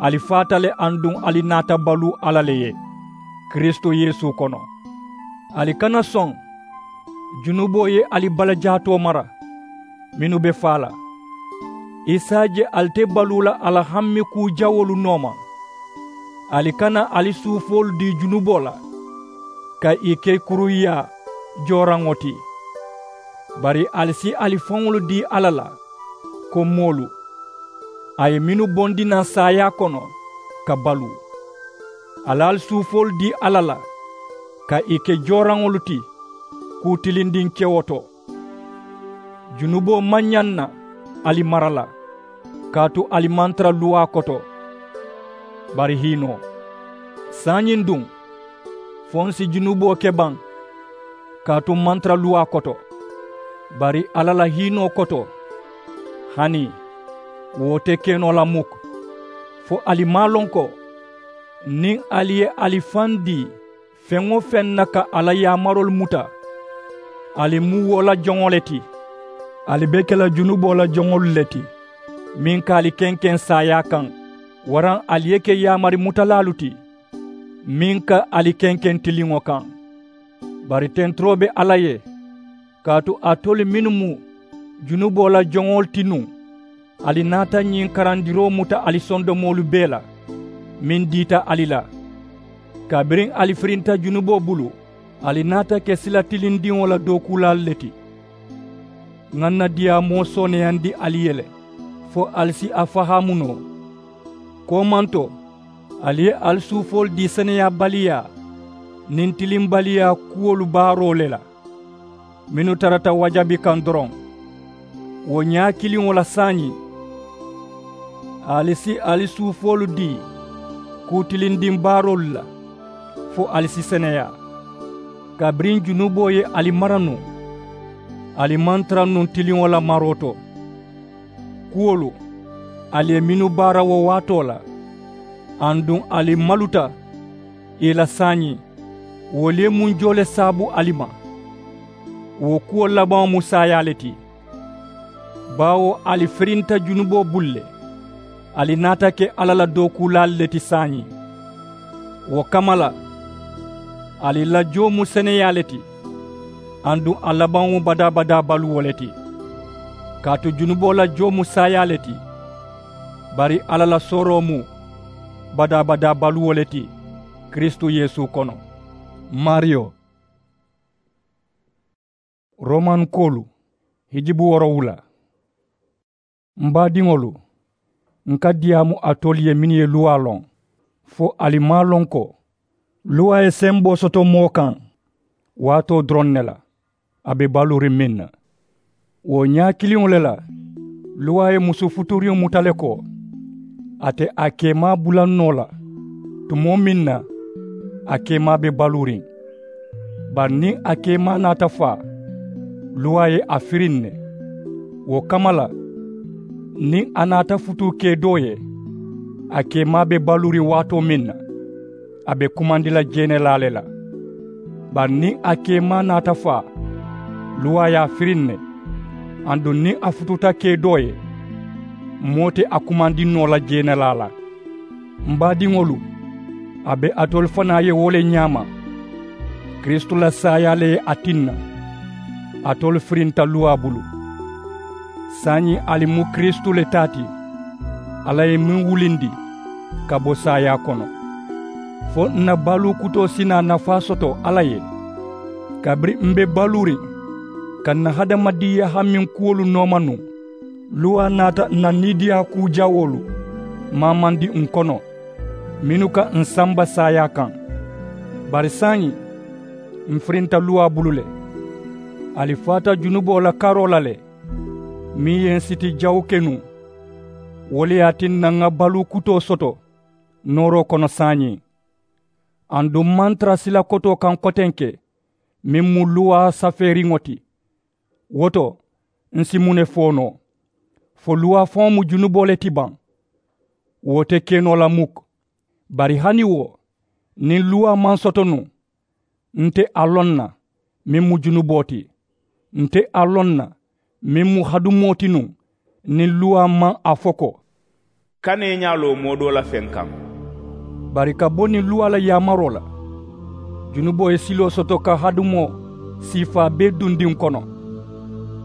ali faata le aduŋ ali naata baluu alla le ye kiristu yeesu kono. Ali kana soŋ junuboo ye ali balajaatoo mara mennu be faa la. I si a je ali te baluu la a la hamme kuu jawoolu nooma. Ali kana ali suufoolu dii junuboo la ka ì ke kuruyaa jooraŋo ti. Bari ali si ali faŋolu dii alla la ko moolu a ye mennu bondi naŋ saayaa kono ka baluu. Ali ali suufoolu dii alla la ka ì ke jooraŋolu ti kuu tilindiŋ kewo to. Junuboo maŋ ñaŋ na ali mara la, kaatu ali maŋ tara luwaa koto, bari hiinoo. Saayiŋ duŋ, fo n si junuboo ke baŋ, kaatu m maŋ tara luwaa koto, bari alla la hiinoo koto, hani wo te ke noo la muk. Fo ali maŋ a loŋ ko niŋ ali ye ali faŋ dii feŋ-wo-feŋ na ka a la yaamaroolu muta, ali mu wo la joŋo le ti. Ali be ke la junuboo la joŋolu le ti, meŋ ka ali kenkeŋ saayaa kaŋ. Waraŋ ali ye ke yaamari mutalaalu ti, meŋ ka ali kenkeŋ tiliŋo kaŋ. Bari tenturoo be alla ye, kaatu alitolu mennu mu junuboo la joŋolu ti nuŋ, ali naata ñiŋ karandiroo muta ali sondomoolu bee la, meŋ diita ali la. Kabiriŋ ali firinta junuboo bulu, ali naata ke sila tilindiŋo la dookuulaalu le ti. Ŋà n na diyaamoo sooneyandi ali ye le, fo ali si a fahaamu noo. Koomanto, ali ye ali suufoolu dii seneyaabaliyaa niŋ tilimbaliyaa kuwolu baaroo le la, mennu tarata wajabi kaŋ doroŋ. Wo ñaa kiliŋo la saayiŋ, ali si ali suufoolu dii kuu tilindiŋ baaroolu la, fo ali si seneyaa. Kabiriŋ junuboo ye ali mara nuŋ, ali maŋ tara nuŋ tiliŋo la maroo to. Kuwolu, ali ye mennu baara wo waatoo la, aduŋ ali maluta ì la saayiŋ, wolu ye munjoo le saabu ali ma. Wo kuwo labaŋo mu saayaa le ti. Baawo ali firinta junuboo bulu le, ali naata ke alla la dookuulaalu le ti saayiŋ. Wo kamma la, ali la joo mu seneyaa le ti, aduŋ a labaŋo mu badaa-badaa baluwo le ti. Kaatu junuboo la joo mu saayaa le ti, bari alla la sooroo mu badaa-badaa baluwo le ti kiristu yeesu kono. Maariyo. Romankoolu, hijibu woorowula. M baadiŋolu, n ka diyaamu alitolu ye mennu ye luwaa loŋ, fo ali maŋ a loŋ ko luwaa ye semboo soto moo kaŋ waatoo doroŋ ne la, a be baluuriŋ meŋ na. Wo ñaa kiliŋo le la, luwaa ye musu futuriŋo muta le ko a te a keemaa bula noo la tumoo meŋ na a keemaa be baluuriŋ. Bari niŋ a keemaa naata faa, luwaa ye a firiŋ ne. Wo kamma la, niŋ a naata futuu kee doo ye, a keemaa be baluuriŋ waatoo meŋ na, a be kumandi la jeenelaa le la. Bari niŋ a keemaa naata faa, luwaa ye a firiŋ ne. Aduŋ niŋ a futuuta kee doo ye, moo te a kumandi noo la jeenelaa la. M baadiŋolu, a be alitolu fanaa ye wo le ñaama. Kiristu la saayaa le ye a tinna alitolu firinta luwaa bulu. Saayiŋ ali mu kiristu le taa ti, alla ye meŋ wulindi ka bo saayaa kono, fo n na baluu kutoo si naa nafaa soto alla ye. Kabiriŋ m be baluuriŋ ka n na hadamadiŋyaa hamiŋ kuwolu nooma nuŋ, luwaa naata n na niidiyaa kuu jawoolu maamandi n kono, mennu ka n samba saayaa kaŋ. Bari saayiŋ, m firinta luwaa bulu le. Ali faata junuboo la karoo la le, meŋ ye n siti jawu ke nuŋ. Wo le ye a tinna ŋa baluu kutoo soto nooroo kono saayiŋ. Aduŋ m maŋ tara sila kotoo kaŋ kotenke, meŋ mu luwaa safeeriŋo ti. Wo to, n si muŋ ne fo noo? Fo luwaa faŋo mu junuboo le ti baŋ? Wo te ke noo la muk. Bari hani wo, niŋ luwaa maŋ soto nuŋ, n te a loŋ na meŋ mu junuboo ti. N te a loŋ na meŋ mu hadumoo ti nuŋ, niŋ luwaa maŋ a fo ko, kana i ñaa loo moo doo la feŋ kaŋ. Bari ka bo niŋ luwaa la yaamaroo la, junuboo ye siloo soto ka hadumoo siifaa bee dundi n kono.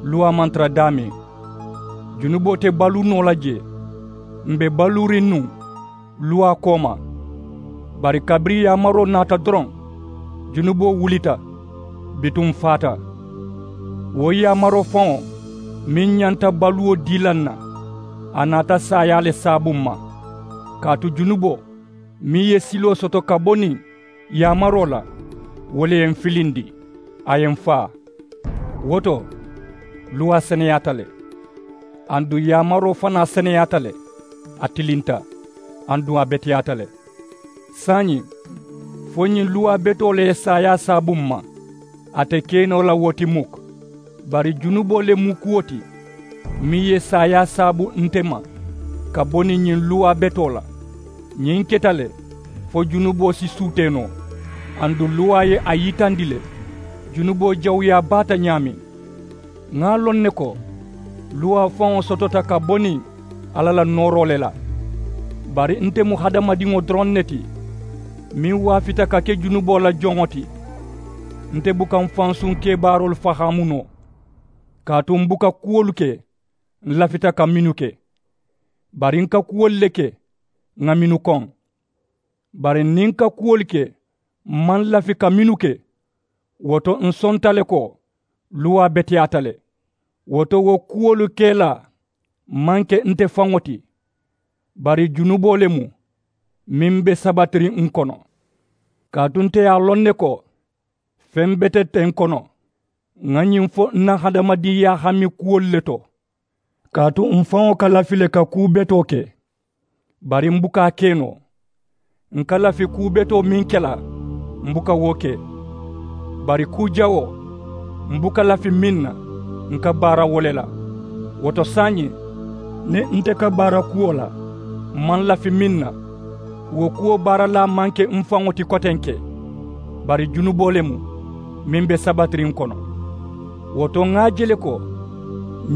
Luwaa maŋ tara daameŋ, junuboo te baluu noo la jee. M be baluuriŋ nuŋ luwaa kooma. Bari kabiriŋ yaamaroo naata doroŋ, junuboo wulita. Bituŋ m faata. Wo yaamaroo faŋo meŋ ñanta baluwo dii la n na, a naata saayaa le saabu m ma. Kaatu junuboo meŋ ye siloo soto ka bo niŋ yaamaroo la, wo le ye m filindi, a ye m faa. Wo to, luwaa seneyaata le. Aduŋ yaamaroo fanaa seneyaata le, a tilinta. Aduŋ a beteyaata le. Saayiŋ, fo ñiŋ luwaa betoo le ye saayaa saabu m ma, a te ke noo la wo ti muk. Bari junuboo le mu kuwo ti meŋ ye saayaa saabu nte ma ka bo niŋ ñiŋ luwaa betoo la. Ñiŋ keta le fo junuboo si suutee noo. Aduŋ luwaa ye a yitandi le junuboo jawuyaa baata ñaameŋ. Ŋa a loŋ ne ko luwaa faŋo sotota ka bo niŋ alla la nooroo le la. Bari nte mu hadamadiŋo doroŋ ne ti meŋ waafita ka ke junuboo la joŋo ti. Nte buka m fansuŋ kebaaroolu fahaamu noo. Kaatu m buka kuwolu ke m lafita ka mennu ke. Bari n ka kuwolu le ke ŋa mennu koŋ. Bari niŋ n ka kuwolu ke m maŋ lafi ka mennu ke, wo to n sonta le ko luwaa beteyaata le. Wo to wo kuwolu kelaa maŋ ke nte faŋo ti, bari junuboo le mu meŋ be sabatiriŋ n kono. Kaatu nte ye a loŋ ne ko feŋ bete te n kono ŋa ñiŋ fo n na hadamadiŋyaa hami kuwolu le to. Kaatu m faŋo ka lafi le ka kuu betoo ke, bari m buka a ke noo. N ka lafi kuu betoo meŋ ke la, m buka wo ke. Bari kuu jawoo m buka lafi meŋ na, n ka baara wo le la. Wo to saayiŋ, niŋ nte ka baara kuwo la m maŋ lafi meŋ na, wo kuwo baaralaa maŋ ke m faŋo ti kotenke, bari junuboo le mu meŋ be sabatiriŋ kono. Wo to ŋa a je le ko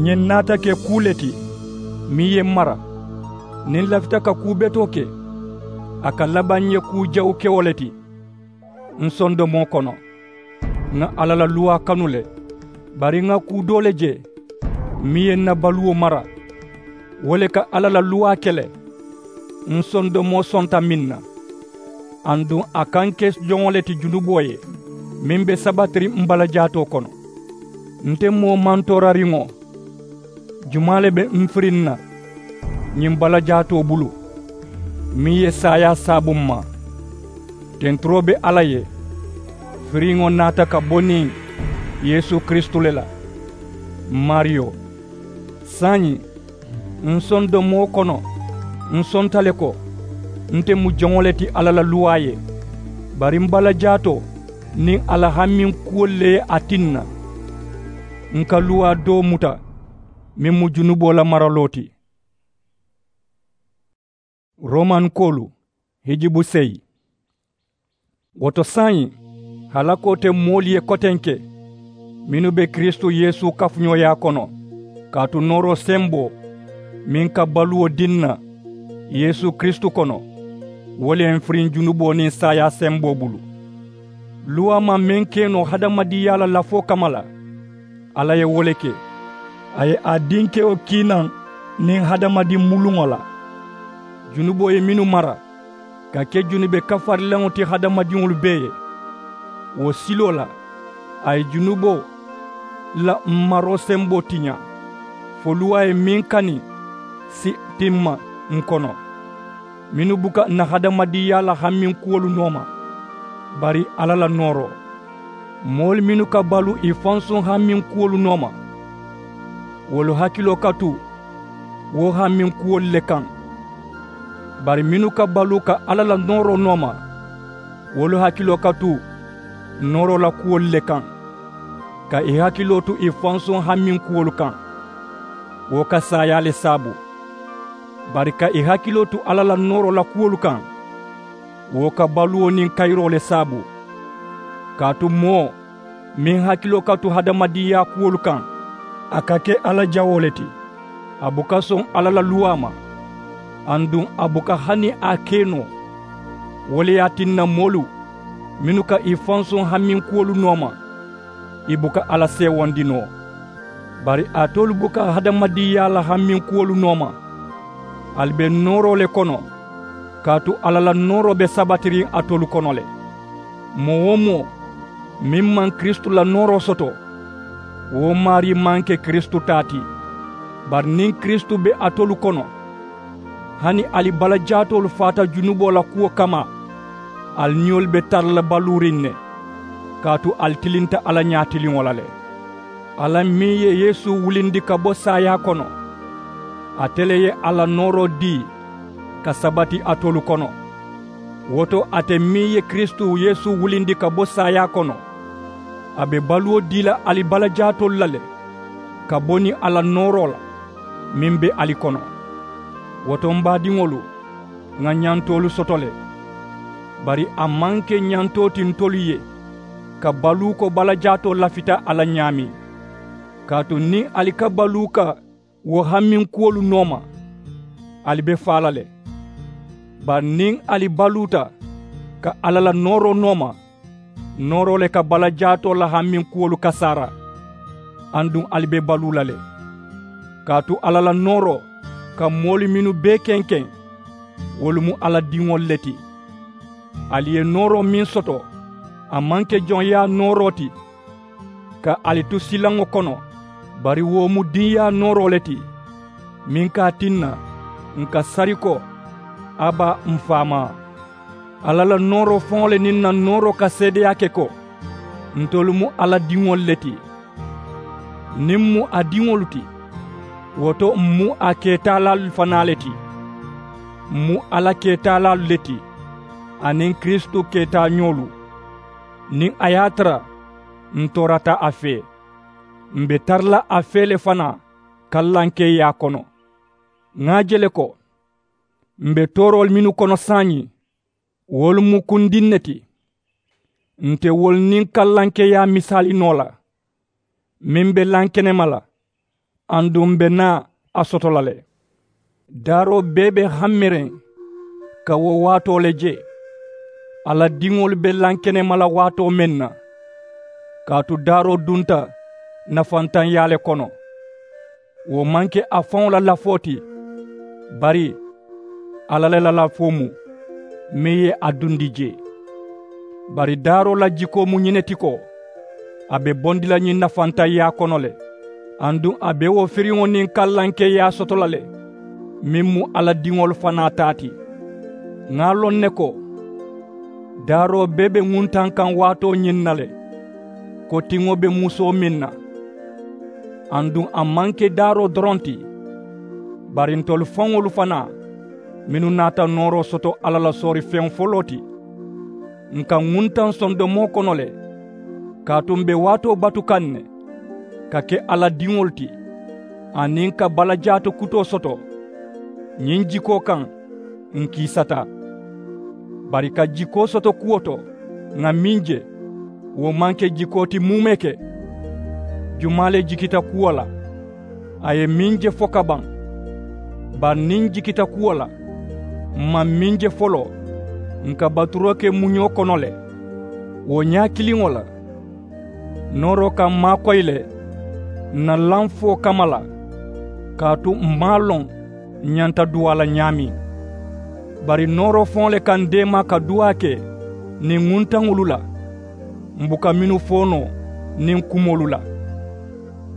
ñiŋ naata ke kuu le ti meŋ ye m mara. Niŋ n lafita ka kuu betoo ke, a ka labaŋ n ye kuu jawukewo le ti. N sondomoo kono ŋa alla la luwaa kanu le. Bari ŋa kuu doo le je meŋ ye n na baluwo mara. Wo le ka alla la luwaa ke le. N sondomoo sonta meŋ na, aduŋ a ka n ke joŋo le ti junuboo ye meŋ be sabatiriŋ m balajaatoo kono. Nte moo mantoorariŋo, jumaa le be m firiŋ na ñiŋ balajaatoo bulu meŋ ye saayaa saabu m ma? Tenturoo be alla ye, firiŋo naata ka bo niŋ yeesu kiristu le la, m maariyo. Saayiŋ, n sondomoo kono, n sonta le ko nte mu joŋo le ti alla la luwaa ye. Bari m balajaatoo, niŋ a la hamminkuwolu le ye a tinna n ka luwaa doo muta meŋ mu junuboo la maraloo ti. Romankoolu hijibu seyi. Wo to saayiŋ halakoo te moolu ye kotenke mennu be kiristu yeesu kafuñooyaa kono, kaatu nooroo semboo meŋ ka baluwo dii n na yeesu kiristu kono, wo le ye n firiŋ junuboo niŋ saayaa semboo bulu. Luwaa maŋ meŋ ke noo hadamadiŋyaa la lafoo kamma la, alla ye wo le ke. A ye a dinkewo kii naŋ niŋ hadamadiŋ muluŋo la. Junuboo ye mennu mara ka ke junube kafarilaŋo ti hadamadiŋolu bee ye, wo siloo la a ye junuboo la maroo semboo tiñaa, fo luwaa ye meŋ kani si timma n kono, mennu buka n na hadamadiŋyaa la hamminkuwolu nooma, bari alla la nooroo. Moolu mennu ka baluu ì fansuŋ hamminkuwolu nooma, wolu hakiloo ka tu wo hamminkuwolu le kaŋ. Bari mennu ka baluu ka alla la nooroo nooma, wolu hakiloo ka tu nooroo la kuwolu le kaŋ. Ka ì hakiloo tu ì fansuŋ hamminkuwolu kaŋ, wo ka saayaa le saabu. Bari ka ì hakiloo tu alla la nooroo la kuwolu kaŋ, wo ka baluwo niŋ kayiroo le saabu. Kaatu moo meŋ hakiloo ka tu hadamadiŋyaa kuwolu kaŋ, a ka ke alla jawoo le ti. A buka soŋ alla la luwaa ma, aduŋ a buka hani a ke noo. Wo le ye a tinna moolu mennu ka ì fansuŋ hamminkuwolu nooma, ì buka alla seewondi noo. Bari alitolu buka hadamadiŋyaa la hamminkuwolu nooma, ali be nooroo le kono. Kaatu alla la nooroo be sabatiriŋ alitolu kono le. Moo-wo-moo meŋ maŋ kiristu la nooroo soto, wo maarii maŋ ke kiristu taa ti. Bari niŋ kiristu be alitolu kono, hani ali balajaatoolu faata junuboo la kuwo kamma, ali niyolu be tara la baluuriŋ ne. Kaatu ali tilinta alla ñaatiliŋo la le. Alla meŋ ye yeesu wulindi ka bo saayaa kono, ate le ye a la nooroo dii ka sabati alitolu kono. Wo to ate meŋ ye kiristu yeesu wulindi ka bo saayaa kono, a be baluwo dii la ali balajaatoolu la le, ka bo niŋ a la nooroo la meŋ be ali kono. Wo to m baadiŋolu, ŋà ñantoolu soto le. Bari a maŋ ke ñantoo ti ntolu ye ka baluu ko balajaatoo lafita a la ñaameŋ. Kaatu niŋ ali ka baluu ka wo hamminkuwolu nooma, ali be faa la le. Bari niŋ ali baluuta ka alla la nooroo nooma, nooroo le ka balajaatoo la hamminkuwolu kasaara, aduŋ ali be baluu la le. Kaatu alla la nooroo ka moolu mennu bee kenkeŋ, wolu mu alla diŋolu le ti. Ali ye nooroo meŋ soto, a maŋ ke joŋyaa nooroo ti ka ali tu silaŋo kono, bari wo mu diŋyaa nooroo le ti, meŋ ka a tinna ǹ ka sari ko, a baa m faamaa. Alla la nooroo faŋo le niŋ ǹ na nooroo ka seedeyaa ke ko, ntolu mu alla diŋolu le ti. Niŋ m mu a diŋolu ti, wo to m mu a keetaalaalu fanaa le ti. M mu alla keetaalaalu le ti, aniŋ kiristu keetaañoolu. Niŋ a ye a tara m toorata a fee, m be tara la a fee le fanaa kallankeeyaa kono. Ŋà a je le ko m be tooroolu mennu kono saayiŋ, wolu mu kundiŋ ne ti. Nte wolu niŋ kallankeeyaa misaali noo la, meŋ be lankenema la, aduŋ m be naa a soto la le. Daaroo bee be hammeriŋ ka wo waatoo le je. Alla diŋolu be lankenema la waatoo meŋ na, kaatu daaroo dunta nafantaŋyaa le kono. Wo maŋ ke a faŋo la lafoo ti, bari alla le la lafoo mu, meŋ ye a dundi jee. Bari daaroo la jikoo mu ñiŋ ne ti ko, a be bondi la ñiŋ nafantaŋyaa kono le. Aduŋ a be wo firiŋo niŋ kallankeeyaa soto la le, meŋ mu alla diŋolu fanaa taa ti. Ŋà a loŋ ne ko, daaroo bee be ŋuntaŋ kaŋ waatoo ñiŋ na le, ko tiŋo be musoo meŋ na. Aduŋ a maŋ ke daaroo doroŋ ti, bari ntolu faŋolu fanaa mennu naata nooroo soto alla la soori feŋ foloo ti, ǹ ka ŋuntaŋ sondomoo kono le. Kaatu m be waatoo batu kaŋ ne ka ke alla diŋolu ti aniŋ ka balajaatu kutoo soto. Ñiŋ jikoo kaŋ n kiisata. Bari ka jikoo soto kuwo to ŋà meŋ je, wo maŋ ke jikoo ti muumee ke. Jumaa le jikita kuwo la? A ye meŋ je fo ka baŋ. Bari niŋ n jikita kuwo la, m maŋ meŋ je foloo, n ka baturoo ke muñoo kono le. Wo ñaa kiliŋo la, nooroo ka m maakoyi le n na laŋ foo kamma la. Kaatu m maŋ a loŋ n ñanta duwaa la ñaameŋ. Bari nooroo faŋo le ka n deemaa ka duwaa ke niŋ ŋuntaŋolu la, m buka mennu fo noo niŋ kumoolu la.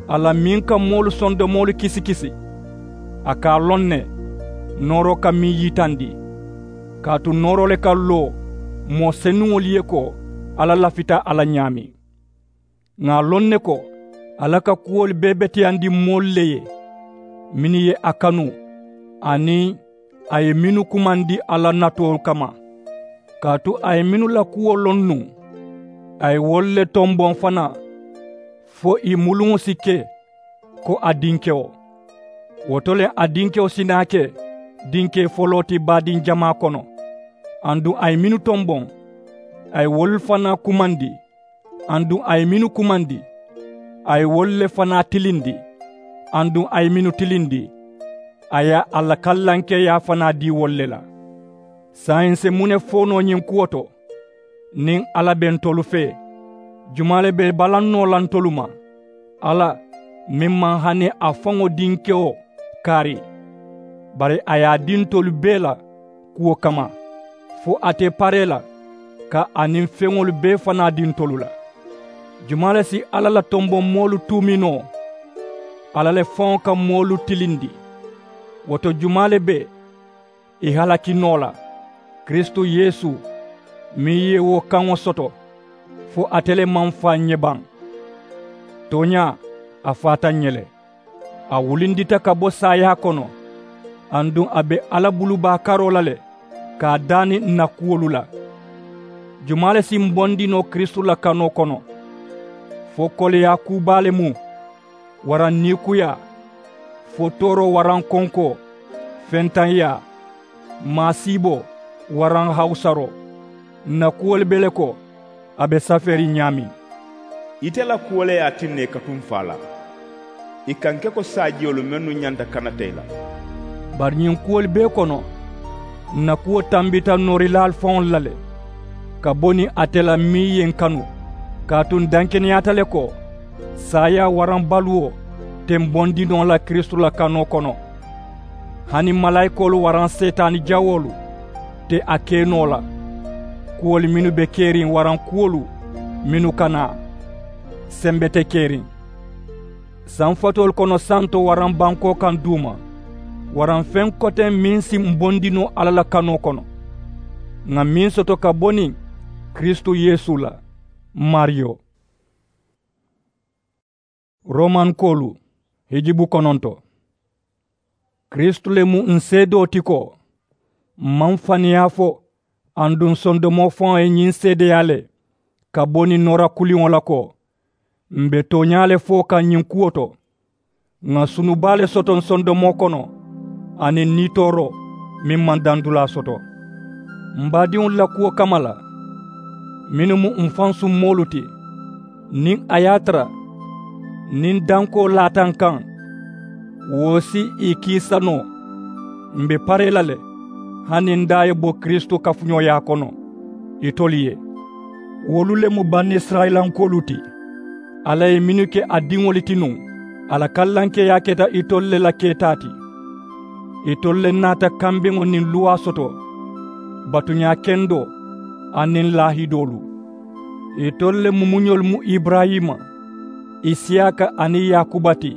Alla meŋ ka moolu sondomoolu kisikisi, a ka a loŋ ne nooroo ka meŋ yitandi. Kaatu nooroo le ka loo moo senuŋolu ye ko alla lafita a la ñaameŋ. Ŋà a loŋ ne ko alla ka kuwolu bee beteyandi moolu le ye, mennu ye a kanu, aniŋ a ye mennu kumandi alla natoolu kamma. Kaatu a ye mennu la kuwo loŋ nuŋ, a ye wolu le tomboŋ fanaa, fo ì muluŋo si ke ko a dinkewo. Wo to le a dinkewo si naa ke dinkee foloo ti baadiŋ jamaa kono. Aduŋ a ye mennu tomboŋ, a ye wolu fanaa kumandi. Aduŋ a ye mennu kumandi, a ye wolu le fanaa tilindi. Aduŋ a ye mennu tilindi, a ye a la kallankeeyaa fanaa dii wolu le la. Saayiŋ n si muŋ ne fo noo ñiŋ kuwo to? Niŋ alla be ntolu fee, jumaa le be balaŋ noo la ntolu ma? Alla, meŋ maŋ hani a faŋo dinkewo kaari, bari a ye a dii ntolu bee la kuwo kamma, fo a te paree la ka a niŋ feŋolu bee fanaa dii ntolu la. Jumaa le si alla la tomboŋ moolu tuumi noo? Alla le faŋo ka moolu tilindi. Wo to jumaa le be ì halaki noo la? Kiristu yeesu, meŋ ye wo kaŋo soto, fo ate le maŋ faa ǹ ye baŋ. Tooñaa, a faata ǹ ye le. A wulindita ka bo saayaa kono, aduŋ a be alla bulubaa karoo la le ka a daani ǹ na kuwolu la. Jumaa le si m bondi noo kiristu la kanoo kono? Fo koleyaa kuu baa le mu, waraŋ niikuyaa, fo tooroo waraŋ konkoo, fentaŋyaa, maasiiboo, waraŋ hawusaroo? Ǹ na kuwolu be le ko a be safeeriŋ ñaameŋ. Ite la kuwo le ye a tinna ì ka tuŋ faa la. Ì ka ǹ ke ko saajiyolu mennu ñanta kanata ì la. Bari ñiŋ kuwolu bee kono, ǹ na kuwo tambita noorilaalu faŋolu la le, ka bo niŋ ate la meŋ ye ǹ kanu. Kaatu ǹ dankeneyaata le ko saayaa waraŋ baluwo te m bondi noo la kiristu la kanoo kono. Hani malaayikoolu waraŋ seetaani jawoolu te a ke noo la. Kuwolu mennu be keriŋ waraŋ kuwolu mennu ka naa, sembe te keriŋ. Sanfatoolu kono santo waraŋ bankoo kaŋ duuma, waraŋ feŋ koteŋ meŋ si m bondi noo alla la kanoo kono, ŋà meŋ soto ka bo niŋ kiristu yeesu la, maariyo. Romankoolu, hijibu kononto. Kiristu le mu ǹ seedoo ti ko m maŋ faniyaa fo, aduŋ sondomoo faŋo ye ñiŋ seedeyaa le ka bo niŋ noora kuliŋo la ko m be tooñaa le fo kaŋ ñiŋ kuwo to. Ŋà sunu baa le soto ǹ sondomoo kono, aniŋ niitooroo meŋ maŋ dandulaa soto. M baadiŋolu la kuwo kamma la, mennu mu m faŋ summoolu ti, niŋ a ye a tara niŋ dankoo laata ǹ kaŋ, wo si ì kiisa noo. M be paree la le, hani n daa ye bo kiristu kafuñooyaa kono itolu ye. Wolu le mu banisirayilankoolu ti, alla ye mennu ke a diŋolu ti nuŋ, a la kallankeeyaa keta itolu le la keetaa ti. Itolu le naata kambeŋo niŋ luwaa soto, batuñaa kendoo, aniŋ laahidoolu. Itolu le mumuñolu mu iburayima, isiyaaka aniŋ yaakuba ti.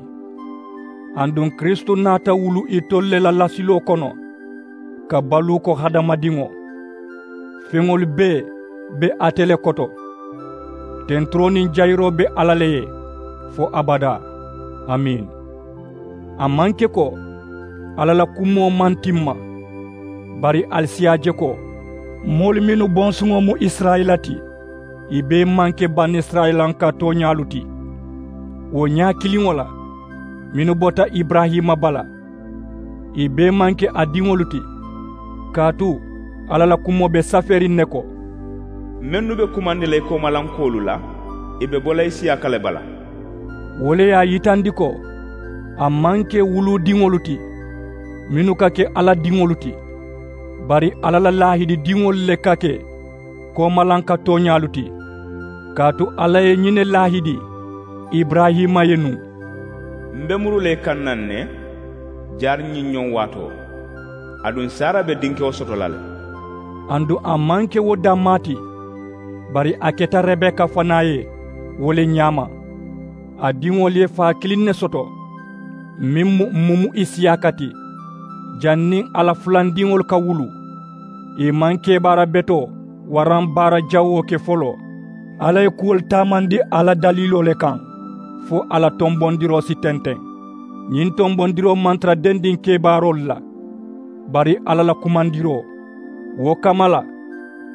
Aduŋ kiristu naata wulu itolu le la lasiloo kono, ka baluu ko hadamadiŋo. Feŋolu bee be ate le koto. Tenturoo niŋ jayiroo be alla le ye, fo abadaa. Amiin. A maŋ ke ko alla la kumoo maŋ timma, bari ali si a je ko moolu mennu bonsuŋo mu isirayila ti, Ì bee maŋ ke banisirayilanka tooñaalu ti. Wo ñaa kiliŋo la, mennu bota iburayima bala, ì bee maŋ ke a diŋolu ti. Kaatu alla la kumoo be safeeriŋ ne ko, mennu be kumandi la i koomalankoolu la, ì be bo la i siyaaka le bala. Wo le ye a yitandi ko a maŋ ke wuluudiŋolu ti, mennu ka ke alla diŋolu ti, bari alla la laahididiŋolu le ka ke koomalanka tooñaalu ti. Kaatu alla ye ñiŋ ne laahidi iburayima ye nuŋ, m be muru la i kaŋ naŋ ne jaari ñiŋ ñoŋ waatoo, aduŋ sara be dinkewo soto la le. Aduŋ a maŋ ke wo dammaa ti, bari a keta rebeka fanaa ye wo le ñaama. A diŋolu ye faa kiliŋ ne soto, meŋ mu mmumu isiyaaka ti. Janniŋ a la fulandiŋolu ka wulu, ì maŋ kebaara betoo waraŋ baara jawoo ke foloo. Alla ye kuwolu taamandi a la daliiloo le kaŋ, fo a la tonbondiroo si tenteŋ. Ñiŋ tonbondiroo maŋ tara dendiŋ kebaaroolu la, bari alla la kumandiroo. Wo kamma la,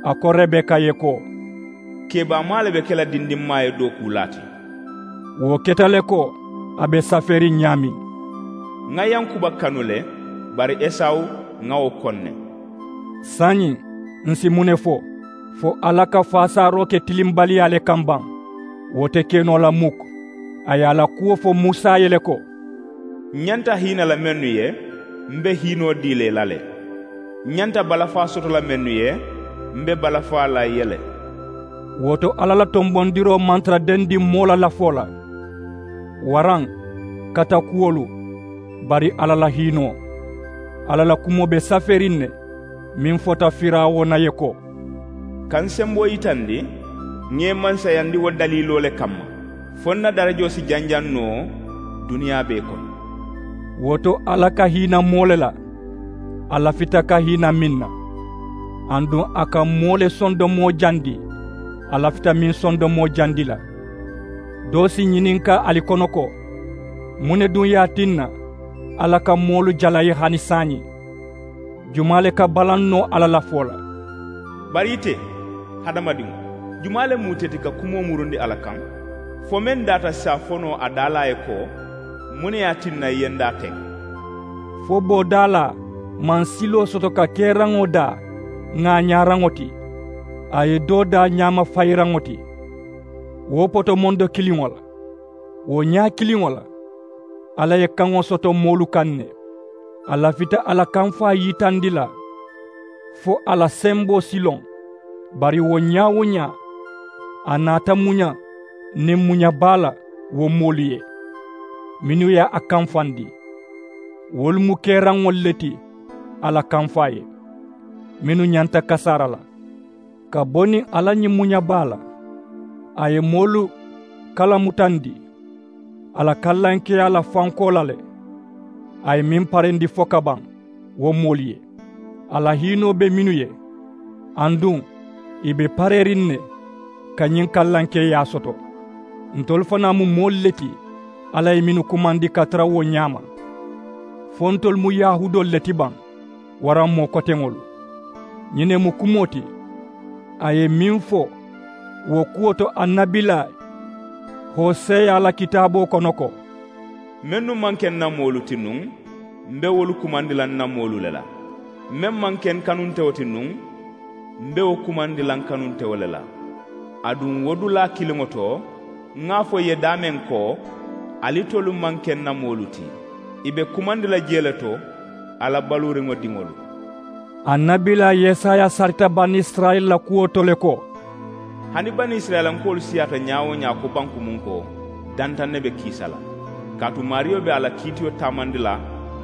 a ko rebeka ye ko, kebaamaa le be ke la dindinmaa ye dookuulaa ti. Wo keta le ko a be safeeriŋ ñaameŋ. Ŋa yankuba kanu le, bari esawu, ŋa wo koŋ ne. Saayiŋ, ǹ si muŋ ne fo? Fo alla ka faasaaroo ke tilimbaliyaa le kaŋ baŋ? Wo te ke noo la muk. A ye a la kuwo fo musa ye le ko, ǹ ñanta hiina la mennu ye, m be hiinoo dii la ì la le. Ǹ ñanta balafaa soto la mennu ye, m be balafaa la ì ye le. Wo to alla la tonbondiroo maŋ tara dendiŋ moo la lafoo la, waraŋ katakuwolu, bari alla la hiinoo. Alla la kumoo be safeeriŋ ne, meŋ fota firawuna ye ko, ka n semboo yitandi ŋa ì mansayandi wo daliiloo le kamma, fo n na darajoo si janjaŋ noo duniyaa bee kono. Wo to alla ka hiina moo le la, a lafita ka hiina meŋ na, aduŋ a ka moo le sondomoo jandi a lafita meŋ sondomoo jandi la. Doo si ñininkaa ali kono ko, muŋ ne duŋ ye a tinna alla ka moolu jalayi hani saayiŋ? Jumaa le ka balaŋ noo alla la foo la? Bari ite, hadamadiŋo, jumaa le mu ite ti ka kumoo murundi alla kaŋ? Fo meŋ daata saafonoo a daalaa ye ko, muŋ ne ye a tinna ì ye n daa teŋ? Fo boodaalaa maŋ siloo soto ka keeraŋo daa ŋaañaaraŋo ti, a ye doo daa ñaamafayiraŋo ti. Wo potomondo kiliŋo la, wo ñaa kiliŋo la, alla ye kaŋo soto moolu kaŋ ne. A lafita a la kamfaa yitandi la fo a la semboo si loŋ. Bari wo ñaa-wo-ñaa, a naata muña niŋ muña baa la wo moolu ye, mennu ye a kamfandi. Wolu mu keeraŋolu le ti a la kamfaa ye, mennu ñanta kasaara la. Ka bo niŋ a la ñiŋ muña baa la, a ye moolu kalamutandi a la kallankeyaa la fankoo la le. A ye meŋ parendi fo ka baŋ, wo moolu ye. A la hiinoo be mennu ye, aduŋ ì be pareeriŋ ne ka ñiŋ kallankeyaa soto. Ntolu fanaa mu moolu le ti alla ye mennu kumandi ka tara wo ñaama. Fo ntolu mu yahuudoolu le ti baŋ, waraŋ moo koteŋolu? Ñiŋ ne mu kumoo ti a ye meŋ fo wo kuwo to annabilaa hoseya la kitaaboo kono ko, mennu maŋ ke n na moolu ti nuŋ, m be wolu kumandi la n na moolu le la. Meŋ maŋ ke n kanuntewo ti nuŋ, m be wo kumandi la n kanuntewo le la. Aduŋ wo dulaa kiliŋo to, ŋa a fo ì ye daameŋ ko, alitolu maŋ ke n na moolu ti, ì be kumandi la jee le to a la baluuriŋo diŋolu. Annabilaa yesaya sarita banisirayila la kuwo to le ko, hani banisirayilankoolu siyaata ñaa-wo-ñaa ko bankumunkoo, dantaŋ ne be kiisa la. Kaatu maariyo be a la kiitiyo taamandi la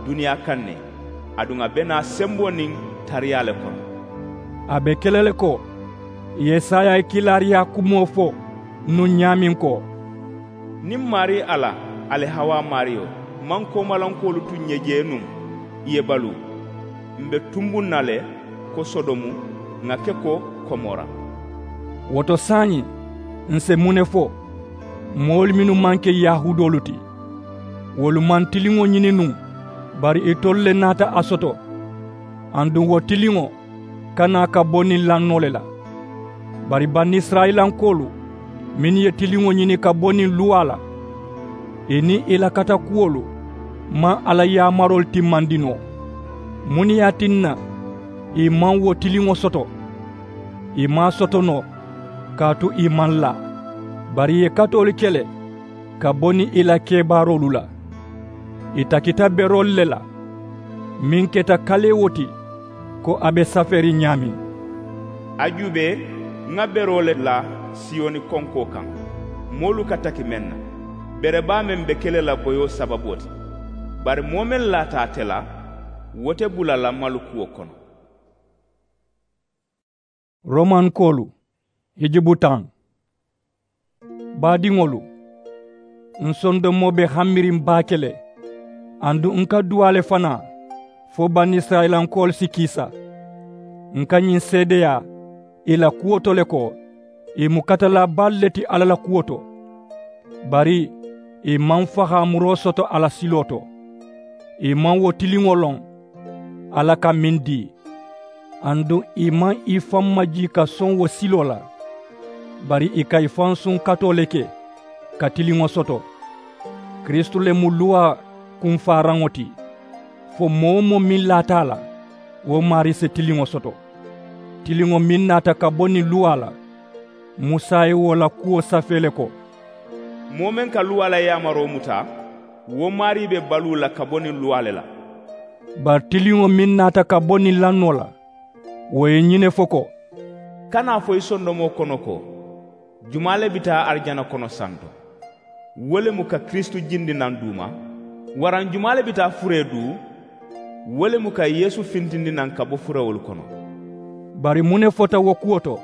duniyaa kaŋ ne, aduŋ a be naa semboo niŋ tariyaa le kono. A be ke la le ko yesaya ye kiilaariyaa kumoo fo nuŋ ñaameŋ ko, niŋ maarii alla, ali hawaa maariyo, maŋ koomalankoolu tu ǹ ye jee nuŋ ì ye baluu, m̀ be tumbuŋ na le ko sodomu, ŋà ke ko komora. Wo to saayiŋ, ǹ si muŋ ne fo? Moolu mennu maŋ ke yahuudoolu ti, wolu maŋ tiliŋo ñini nuŋ, bari itolu le naata a soto. Aduŋ wo tiliŋo ka naa ka bo niŋ lannoo le la. Bari banisirayilankoolu mennu ye tiliŋo ñini ka bo niŋ luwaa la, ì niŋ ì la katakuwolu maŋ alla yaamaroolu timmandi noo. Muŋ ne ye a tinna ì maŋ wo tiliŋo soto? Ì maŋ a soto noo, kaatu ì maŋ laa. Bari ì ye katoolu ke le ka bo niŋ ì la kebaaroolu la. Ì takita beroolu le la, meŋ keta kalee wo ti ko a be safeeriŋ ñaameŋ. A juubee, ŋa beroo le la siyoni konkoo kaŋ, moolu ka taki meŋ na. Bere baa meŋ be ke le la boyoo sababoo ti. Bari moo meŋ laata ate la, wo te bula la malukuwo kono. Romankoolu, hijubu taŋ. Baadiŋolu, ǹ sondomoo be hamiriŋ baake le, aduŋ ǹ ka duwaa le fanaa fo banisirayilankoolu si kiisa. Ǹ ka ñiŋ seedeyaa ì la kuwo to le ko ì mu katalaa baalu le ti alla la kuwo to. Bari ì maŋ fahaamuroo soto a la siloo to. Ì maŋ wo tiliŋo loŋ alla ka meŋ dii. Aduŋ ì maŋ ì faŋ majii ka soŋ wo siloo la. Bari ì ka ì faŋ suŋ katoo le ke ka tiliŋo soto. Kiristu le mu luwaa kunfaaraŋo ti. Fo moo-wo-moo meŋ laata a la, wo maarii si tiliŋo soto. Tiliŋo meŋ naata ka bo niŋ luwaa la, musa ye wo la kuwo safee le ko. Moo meŋ ka luwaa la yaamaroo muta, wo maarii be baluu la ka bo niŋ luwaa le la. Bari tiliŋo meŋ naata ka bo niŋ lannoo la, wo ye ñiŋ ne fo ko, kana a fo i sondomoo kono ko, jumaa le bi taa arijana kono santo? Wo le mu ka kiristu jindi naŋ duuma? Waraŋ jumaa le bi taa furee duu? Wo le mu ka yeesu fintindi naŋ ka bo furawolu kono. Bari muŋ ne fota wo kuwo to?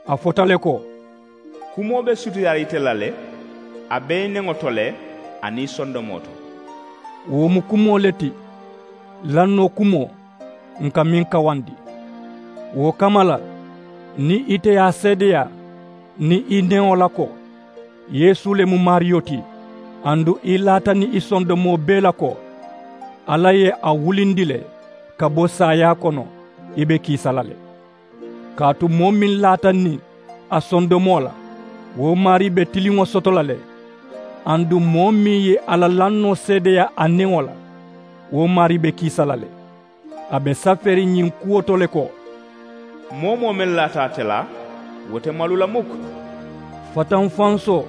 A fota le ko, kumoo be sutiyaariŋ ite la le, a be i neŋo to le aniŋ i sondomoo to. Wo mu kumoo le ti, lannoo kumoo, ǹ ka meŋ kawandi. Wo kamma la, niŋ ite ye a seedeyaa niŋ i neŋo la ko, yeesu le mu maariyo ti, aduŋ i laata niŋ i sondomoo bee la ko, alla ye a wulindi le ka bo saayaa kono, i be kiisa la le. Kaatu moo meŋ laata niŋ a sondomoo la, wo maarii be tiliŋo soto la le. Aduŋ moo meŋ ye a la lannoo seedeyaa a neŋo la, wo maarii be kiisa la le. A be safeeriŋ ñiŋ kuwo to le ko, moo-wo-moo meŋ laata ate la, wo te malu la mukk. Fatanfansoo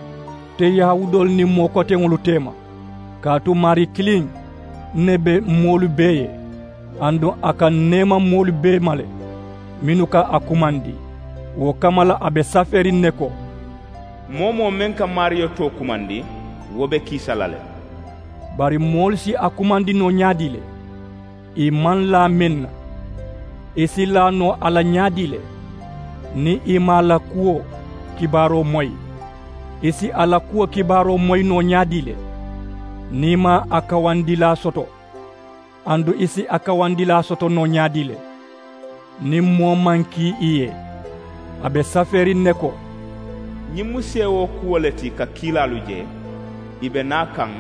te yahuudoolu niŋ moo koteŋolu teema. Kaatu maarii kiliŋ ne be moolu bee ye, aduŋ a ka neema moolu bee ma le, mennu ka a kumandi. Wo kamma la a be safeeriŋ ne ko, moo-wo-moo meŋ ka maariyo too kumandi, wo be kiisa la le. Bari moolu si a kumandi noo ñaadii le? Ì maŋ laa meŋ na, ì si laa noo a la ñaadii le? Niŋ ì maŋ a la kuwo kibaaroo moyi, ì si a la kuwo kibaaroo moyi noo ñaadii le? Niŋ ì maŋ a kawandilaa soto, aduŋ ì si a kawandilaa soto noo ñaadii le? Niŋ moo maŋ kii ì ye, a be safeeriŋ ne ko, ñiŋ mu seewoo kuwo le ti ka kiilaalu je, ì be naa kaŋ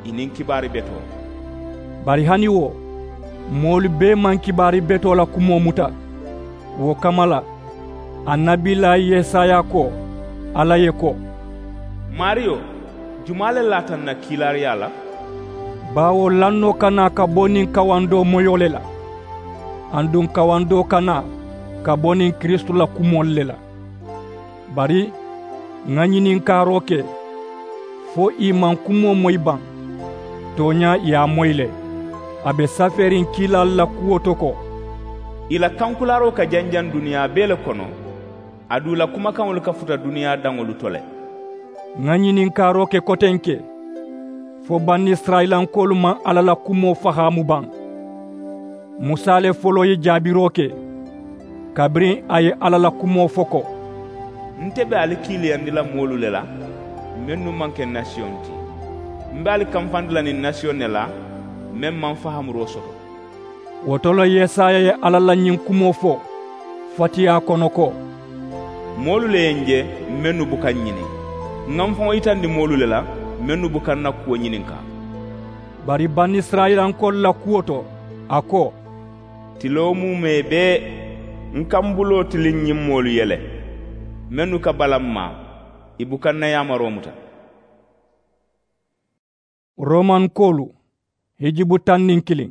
ì niŋ kibaari betoo. Bari hani wo, moolu bee maŋ kibaari betoo la kumoo muta. Wo kamma la, annabiilaa yesaya ko alla ye ko, maariyo, jumaa le laata ǹ na kiilaariyaa la? Baawo lannoo ka naa ka bo niŋ kawandoo moyoo le la, aduŋ kawandoo ka naa ka bo niŋ kiristu la kumoolu le la. Bari ŋa ñininkaaroo ke, fo ì maŋ kumoo moyi baŋ? Tooñaa ì ye a moyi le. A be safeeriŋ kiilaalu la kuwo to ko, ì la kankulaaroo ka janjaŋ duniyaa bee le kono, aduŋ ì la kumakaŋolu ka futa duniyaa daŋolu to le. Ŋa ñininkaaroo ke kotenke, fo banisirayilankoolu maŋ alla la kumoo fahaamu baŋ? Musa le foloo ye jaabiroo ke, kabiriŋ a ye alla la kumoo fo ko, nte be ali kiiliyandi la moolu le la, mennu maŋ ke nasiyoŋ ti. M̀ be ali kamfandi la niŋ nasiyoŋ ne la, meŋ maŋ fahamuroo soto. Wo to le yesaya ye alla la ñiŋ kumoo fo fatiyaa kono ko, moolu le ye ǹ je, mennu buka ǹ ñiniŋ. Ŋa m̀ faŋo yitandi moolu le la, mennu buka ǹ na kuwo ñininkaa. Bari banisirayilankoolu la kuwo to, a ko, tiloo muumee bee, ǹ ka m̀ buloo tiliŋ ñiŋ moolu ye le. Mennu ka balaŋ maa, ì buka n na yaamaroo muta. Romankoolu hijibu taŋ niŋ kiliŋ.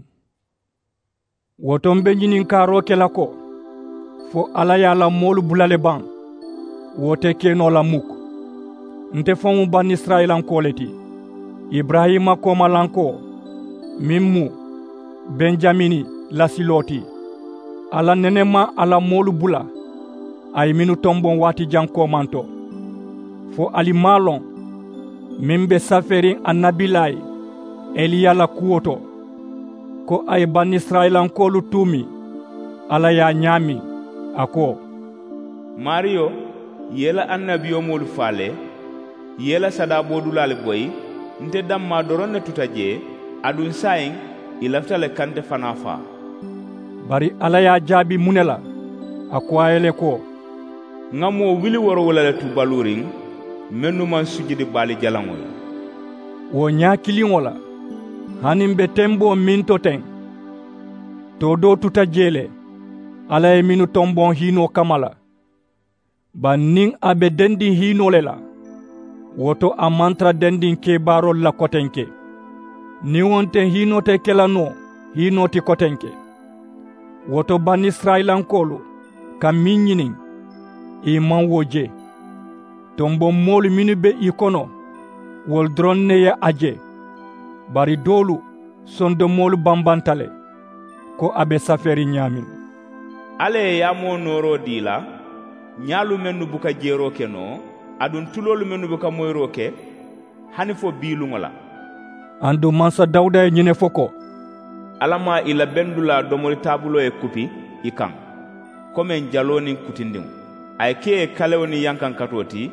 Wo to m be ñininkaaroo ke la ko, fo alla ye a la moolu bula le baŋ? Wo te ke noo la muk. Nte faŋo mu banisirayilankoo le ti, iburayima koomalankoo, meŋ mu benjamini la siloo ti. Alla nene maŋ a la moolu bula, a ye mennu tomboŋ waati jaŋ koomanto. Fo ali maŋ a loŋ, meŋ be safeeriŋ annabilaayi eliya la kuwo to, ko a ye banisirayilankoolu tuumi alla ye a ñaameŋ, a ko, maariyo, i ye i la annabiyomoolu faa le, i ye i la sadaabodulaalu boyi. Nte dammaa doroŋ ne tuta jee, aduŋ saayiŋ ì lafita le ka nte fanaa faa. Bari alla ye a jaabi muŋ ne la? A ko a ye le ko, ŋa moo wili woorowula le tu baluuriŋ, mennu maŋ sujudi baali jalaŋo ye. Wo ñaa kiliŋo la, hani m be temboo meŋ to teŋ, too doo tuta jee le, alla ye mennu tomboŋ hiinoo kamma la. Bari niŋ a be dendiŋ hiinoo le la, wo to a maŋ tara dendiŋ kebaaroolu la kotenke. Niŋ wo nte hiinoo te ke la noo hiinoo ti kotenke. Wo to banisirayilankoolu ka meŋ ñiniŋ, ì maŋ wo je. Tomboŋ moolu mennu be ì kono, wolu doroŋ ne ye a je. Bari doolu sondomoolu bambanta le, ko a be safeeriŋ ñaameŋ. Alla ye yaamoo nooroo dii i la, ñaalu mennu buka jeeroo ke noo, aduŋ tuloolu mennu buka moyiroo ke, hani fo bii luŋo la. Aduŋ mansa dawuda ye ñiŋ ne fo ko, alla maŋ ì la bendulaa domori taabuloo ye kupi ì kaŋ, komeŋ jaloo niŋ kutindiŋo. A ye ke ì ye kalewo niŋ yankankatoo ti,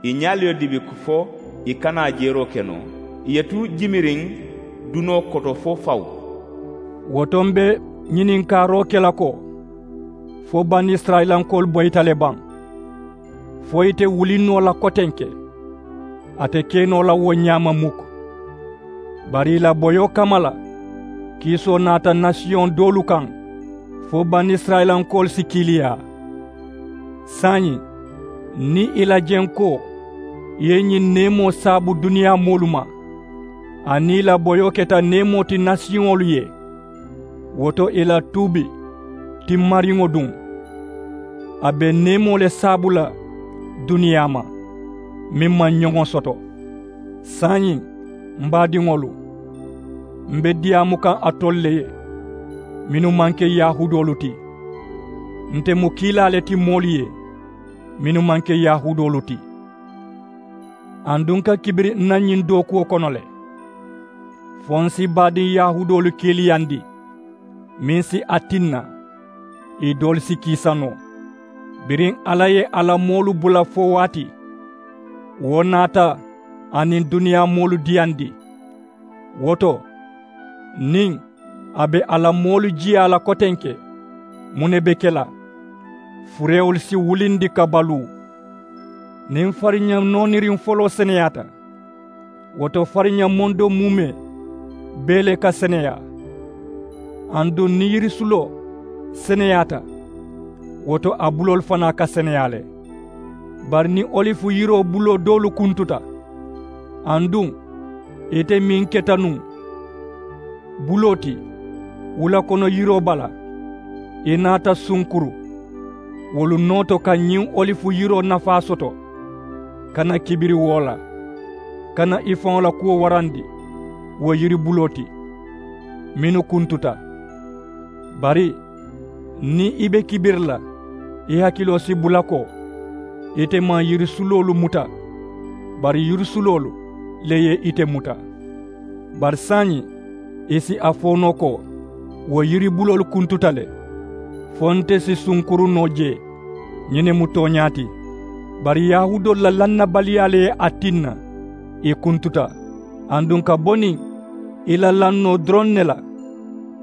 ì ñaalu ye dibi fo ì kana a jeeroo ke noo, ì ye tu jimiriŋ dunoo koto fo fawu. Wo to m be ñininkaaroo ke la ko, fo banisirayilankoolu boyita le baŋ? Fo ì te wuliŋ noo la kotenke, a te ke noo la wo ñaama muk. Bari ì la boyoo kamma la, kiisoo naata nasiyoŋ doolu kaŋ, fo banisirayilankoolu si kiiliyaa. Saayiŋ, niŋ ì la jenkoo ye ñiŋ neemoo saabu duniyaa moolu ma, aniŋ ì la boyoo keta neemoo ti nasiyoŋolu ye, wo to ì la tuubi timmariŋo duŋ, a be neemoo le saabu la duniyaa ma, meŋ maŋ ñoŋo soto. Saayiŋ, m baadiŋolu, m be diyaamu kaŋ alitolu le ye, mennu maŋ ke yahuudoolu ti. Nte mu kiilaa le ti moolu ye, mennu maŋ ke yahuudoolu ti. Aduŋ n ka kibiri n na ñiŋ dookuwo kono le, fo n si baadiŋ yahuudoolu kiiliyandi, meŋ si a tinna ì doolu si kiisa noo. Biriŋ alla ye a la moolu bula fo waati, wo naata a niŋ duniyaa moolu diyandi. Wo to, niŋ a be a la moolu jiyaa la kotenke, muŋ ne be ke la? Furewolu si wulindi ka baluu. Niŋ fariña nooniriŋ foloo seneyaata, wo to fariña mondo muumee bee le ka seneyaa. Aduŋ niŋ yirisuloo seneyaata, wo to a buloolu fanaa ka seneyaa le. Bari niŋ olifu yiroo buloo doolu kuntuta, aduŋ ite meŋ keta nuŋ buloo ti, wula kono yiroo bala, i naata sunkuru wolu noo to ka ñiŋ olifu yiroo nafaa soto, kana kibiri wo la, kana i faŋo la kuwo warandi wo yiri buloo ti mennu kuntuta. Bari niŋ i be kibiri la, i hakiloo si bula ko ite maŋ yirisuloolu muta, bari yirisuloolu le ye ite muta. Bari saayiŋ i si a fo noo ko wo yiribuloolu kuntuta le, fo nte si sunkuru noo jee. Ñiŋ ne mu tooñaa ti. Bari yahuudoolu la lannabaliyaa le ye a tinna ì kuntuta, aduŋ ka bo niŋ i la lannoo doroŋ ne la,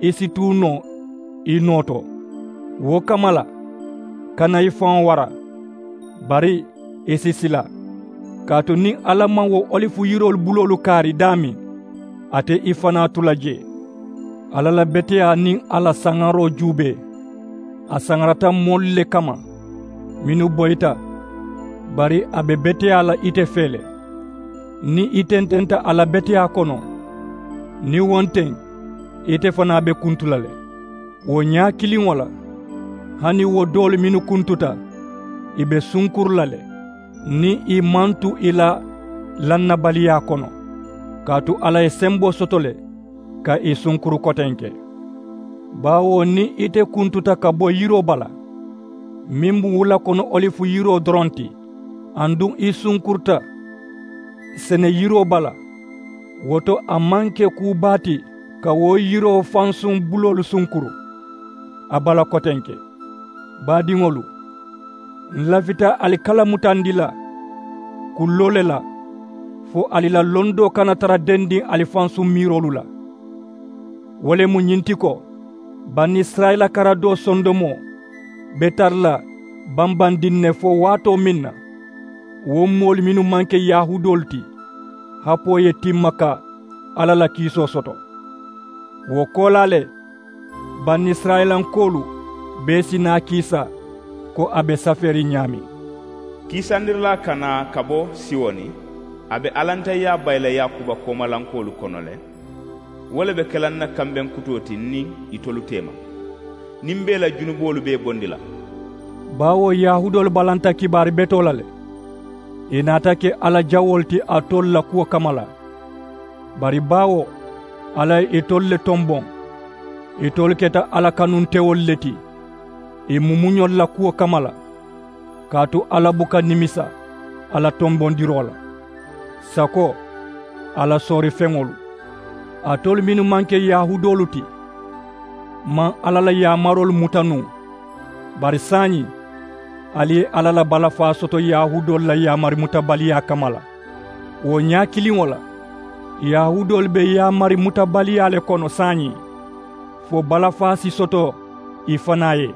i si tuu noo i noo to. Wo kamma la, kana i faŋo wara, bari i si sila. Kaatu niŋ alla maŋ wo olifu yiroolu buloolu kaari daameŋ, a te i fanaa tu la jee. Alla la beteyaa niŋ a la saŋaroo juubee, a saŋarata moolu le kamma mennu boyita Bari a be beteyaa la ite fee le. Niŋ i tententa a la beteyaa kono, niŋ wo nteŋ, ite fanaa be kuntu la le. Wo ñaa kiliŋo la, hani wo doolu mennu kuntuta, i be sunkuru la le, niŋ i maŋ tu i la lannabaliyaa kono, kaatu alla ye semboo soto le ka i sunkuru kotenke. Baawo niŋ ite kuntuta ka bo yiroo bala, meŋ mu wula kono olifu yiroo doroŋ ti, aduŋ i sunkuruta sene yiroo bala, wo to a maŋ ke kuu baa ti ka wo yiroo fansuŋ buloolu sunkuru. A bala kotenke, baadiŋolu, ǹ lafita ali kala mutandi la kulloo le la, fo ali la londoo kana tara dendiŋ ali fansuŋ miiroolu la. Wo le mu ñiŋ ti ko, banisirayila karadoo sondomoo be tara la bambandiŋ ne fo waatoo meŋ na, wo moolu mennu maŋ ke yahuudoolu ti, hapoo ye timma ka alla la kiisoo soto. Wo koolaa le, banisirayilankoolu bee si naa kiisa ko a be safeeriŋ ñaameŋ. Kiisandirilaa kana ka bo siwoni, a be alantayyaa bayi la yaakuba koomalankoolu kono le. Wo le be ke la ǹ na kambeŋ kutoo ti ǹ niŋ itolu teema, niŋ m̀ be ì la junuboolu bee bondi la. Baawo yahuudoolu balanta kibaari betoo la le, ì naata ke alla jawoolu ti alitolu la kuwo kamma la. Bari baawo alla ye itolu le tomboŋ, itolu keta alla kanuntewolu le ti ì mumuñolu la kuwo kamma la. Kaatu alla buka nimisa a la tombondiroo la. Sako, a la soorifeŋolu, alitolu mennu maŋ ke yahuudoolu ti, maŋ alla la yaamaroolu muta nuŋ. Bari saayiŋ, ali ye alla la balafaa soto yahuudoolu la yaamari mutabaliyaa kamma la. Wo ñaa kiliŋo la, yahuudoolu be yaamari mutabaliyaa le kono saayiŋ, fo balafaa si soto ì fanaa ye,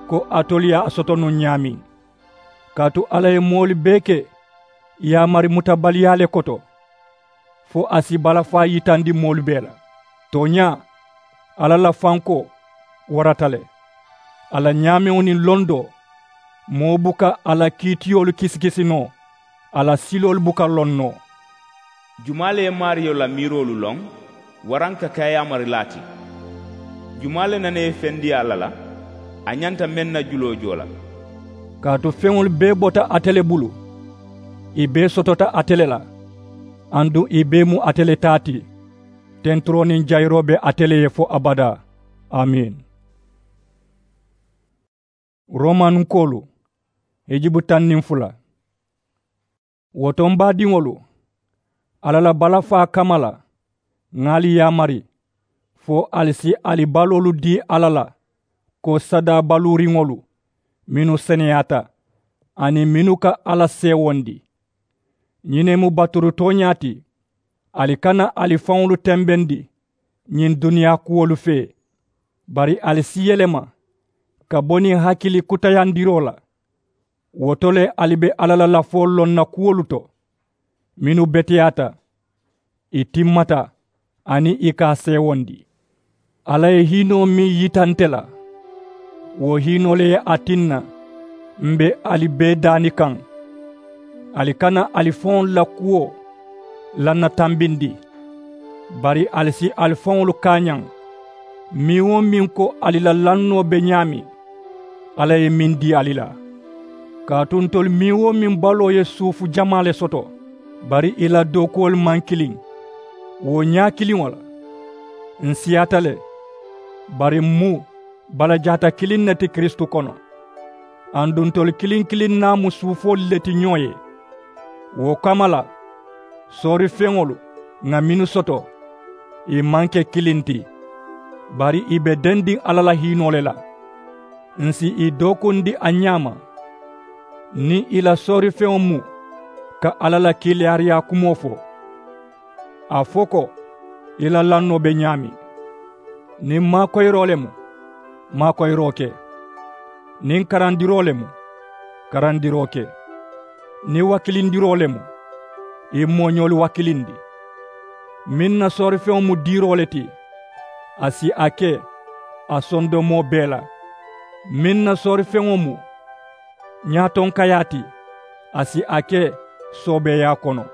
ko alitolu ye a soto nuŋ ñaameŋ. Kaatu alla ye moolu bee ke yaamari mutabaliyaa le koto, fo a si balafaa yitandi moolu bee la. Tooñaa, alla la fankoo warata le. A la ñaameŋo niŋ londoo, moo buka a la kiitiyoolu kisikisi noo, a la siloolu buka loŋ noo. Jumaa le ye maariyo la miiroolu loŋ? Waraŋ ka ke a yaamarilaa ti. Jumaa le nana ye fendi alla la, a ñanta meŋ na juloo joo la? Kaatu feŋolu bee bota ate le bulu, ì bee sotota ate le la, aduŋ ì bee mu ate le taa ti. Tenturoo niŋ jayiroo be ate le ye fo abadaa. Amiin. Romanunkoolu, hijibu taŋ niŋ fula. Wo to, m baadiŋolu, alla la balafaa kamma la, ŋà ali yaamari, fo ali si ali baloolu dii alla la ko sadaa baluuriŋolu, mennu seneyaata, aniŋ mennu ka alla seewondi. Ñiŋ ne mu baturu tooñaa ti. Ali kana ali faŋolu tembendi ñiŋ duniyaa kuwolu fee, bari ali si yelema ka bo niŋ hakili kutayandiroo la. Wo to le, ali be alla la lafoolu loŋ na kuwolu to, mennu beteyaata, ì timmata, aniŋ ì ka a seewondi. Alla ye hiinoo meŋ yita nte la, wo hiinoo le ye a tinna m be ali bee daani kaŋ. Ali kana ali faŋolu la kuwo lannatambindi, bari ali si ali faŋolu kaañaŋ. Meŋ-wo-meŋ ko ali la lannoo be ñaameŋ, alla ye meŋ dii ali la. Kaatu ntolu meŋ-wo-meŋ baloo ye suufu jamaa le soto, bari ì la dookuwolu maŋ kiliŋ. Wo ñaa kiliŋo la, ǹ siyaata le, bari m mu balajaata kiliŋ ne ti kiristu kono. Aduŋ ntolu kiliŋ kiliŋ naa mu suufoolu le ti ñoo ye. Wo kamma la, soorifeŋolu ŋà mennu soto, ì maŋ ke kiliŋ ti, bari ì be dendiŋ alla la hiinoo le la. Ǹ si ì dookundi a ñaama, niŋ ì la soorifeŋo mu ka alla la kiilaariyaa kumoo fo. A fo ko, ì la lannoo be ñaameŋ. Niŋ maakoyiroo le mu, maakoyiroo ke. Niŋ karandiroo le mu, karandiroo ke. Niŋ wakilindiroo le mu, ì mooñoolu wakilindi. Meŋ na soorifeŋo mu diiroo le ti, a si a ke a sondomoo bee la. Meŋ na soorifeŋo mu ñaatonkayaa ti, A si a ke soobeeyaa kono.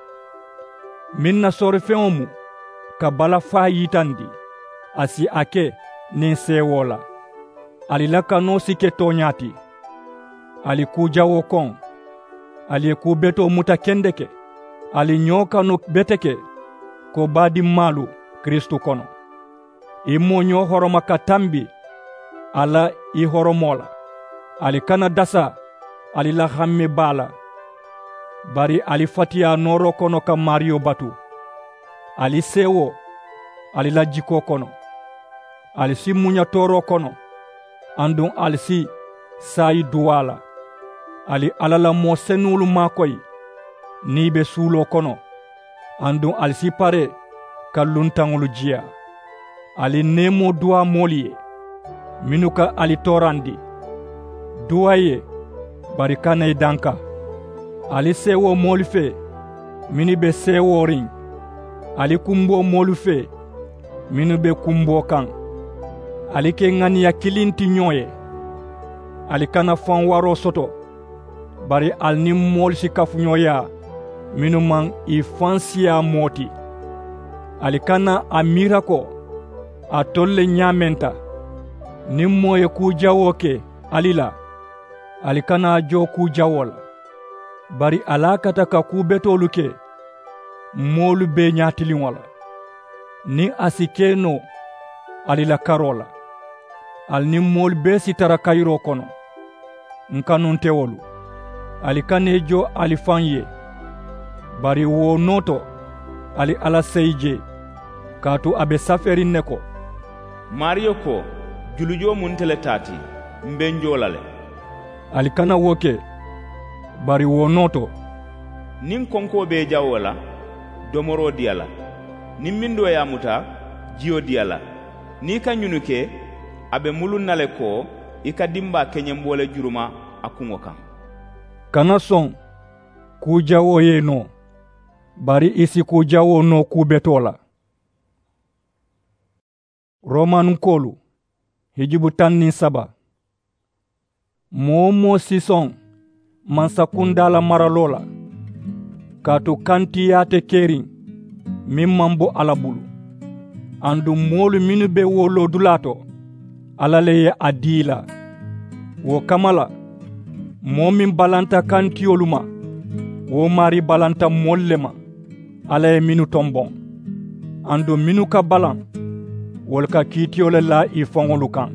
Meŋ na soorifeŋo mu ka balafaa yitandi, a si a ke niŋ seewoo la. Ali la kanoo si ke tooñaa ti. Ali kuu jawoo koŋ. Ali ye kuu betoo muta kendeke. Ali ñoo kanu beteke ko baadimmaalu kiristu kono. I moo ñoo horoma ka tambi a la i horomoo la. Ali kana dasa ali la hamme baa la. Bari ali fatiyaa nooroo kono ka maariyo batu. Ali seewoo ali la jikoo kono. Ali si muña tooroo kono. Aduŋ ali si saayi duwaa la. Ali alla la moo senuŋolu maakoyi niŋ i be suuloo kono. Aduŋ ali si paree ka luntaŋolu jiyaa. Ali neemoo duwaa moolu ye mennu ka ali toorandi. Duwaa i ye bari kana i danka. Ali seewoo moolu fee mennu be seewooriŋ. Ali kumboo moolu fee mennu be kumboo kaŋ. Ali ke ŋaniya kiliŋ ti ñoo ye. Ali kana faŋ waroo soto. Bari ali niŋ moolu si kafuñooyaa mennu maŋ i faŋ siyaa moo ti. Ali kana a miira ko alitolu le ñaamenta. Niŋ moo ye kuu jawoo ke ali la, ali kana a joo kuu jawoo la. Bari ali a kata ka kuu betoolu ke moolu bee ñaatiliŋo la. Niŋ a si ke noo ali la karoo la, ali niŋ moolu bee si tara kayiroo kono. N kanuntewolu, ali kana i jo ali faŋ ye. Bari wo noo to, ali alla seyi jee, kaatu a be safeeriŋ ne ko, maariyo ko, julujoo mu nte le taa ti, m be n joo la le. Ali kana wo ke. Bari wo noo to, niŋ konkoo be i jawoo la, domoroo dii a la. Niŋ mindoo ye a muta, jiyo dii a la. Niŋ i ka ñunu ke, a be muluŋ na le ko i ka dimbaa keñemboo le juruma a kuŋo kaŋ. Kana soŋ kuu jawoo ye i noo, bari i si kuu jawoo noo kuu betoo la. Romankoolu, hijubu taŋ niŋ saba. Moo-wo-moo si soŋ mansakundaa la maraloo la, kaatu kantiyaa te keriŋ meŋ maŋ bo alla bulu. Aduŋ moolu mennu be wo loodulaa to, alla le ye a dii i la. Wo kamma la, moo meŋ balanta kantiyolu ma, wo maarii balanta moolu le ma, alla ye mennu tomboŋ. Aduŋ mennu ka balaŋ, wolu ka kiitiyo le laa ì faŋolu kaŋ.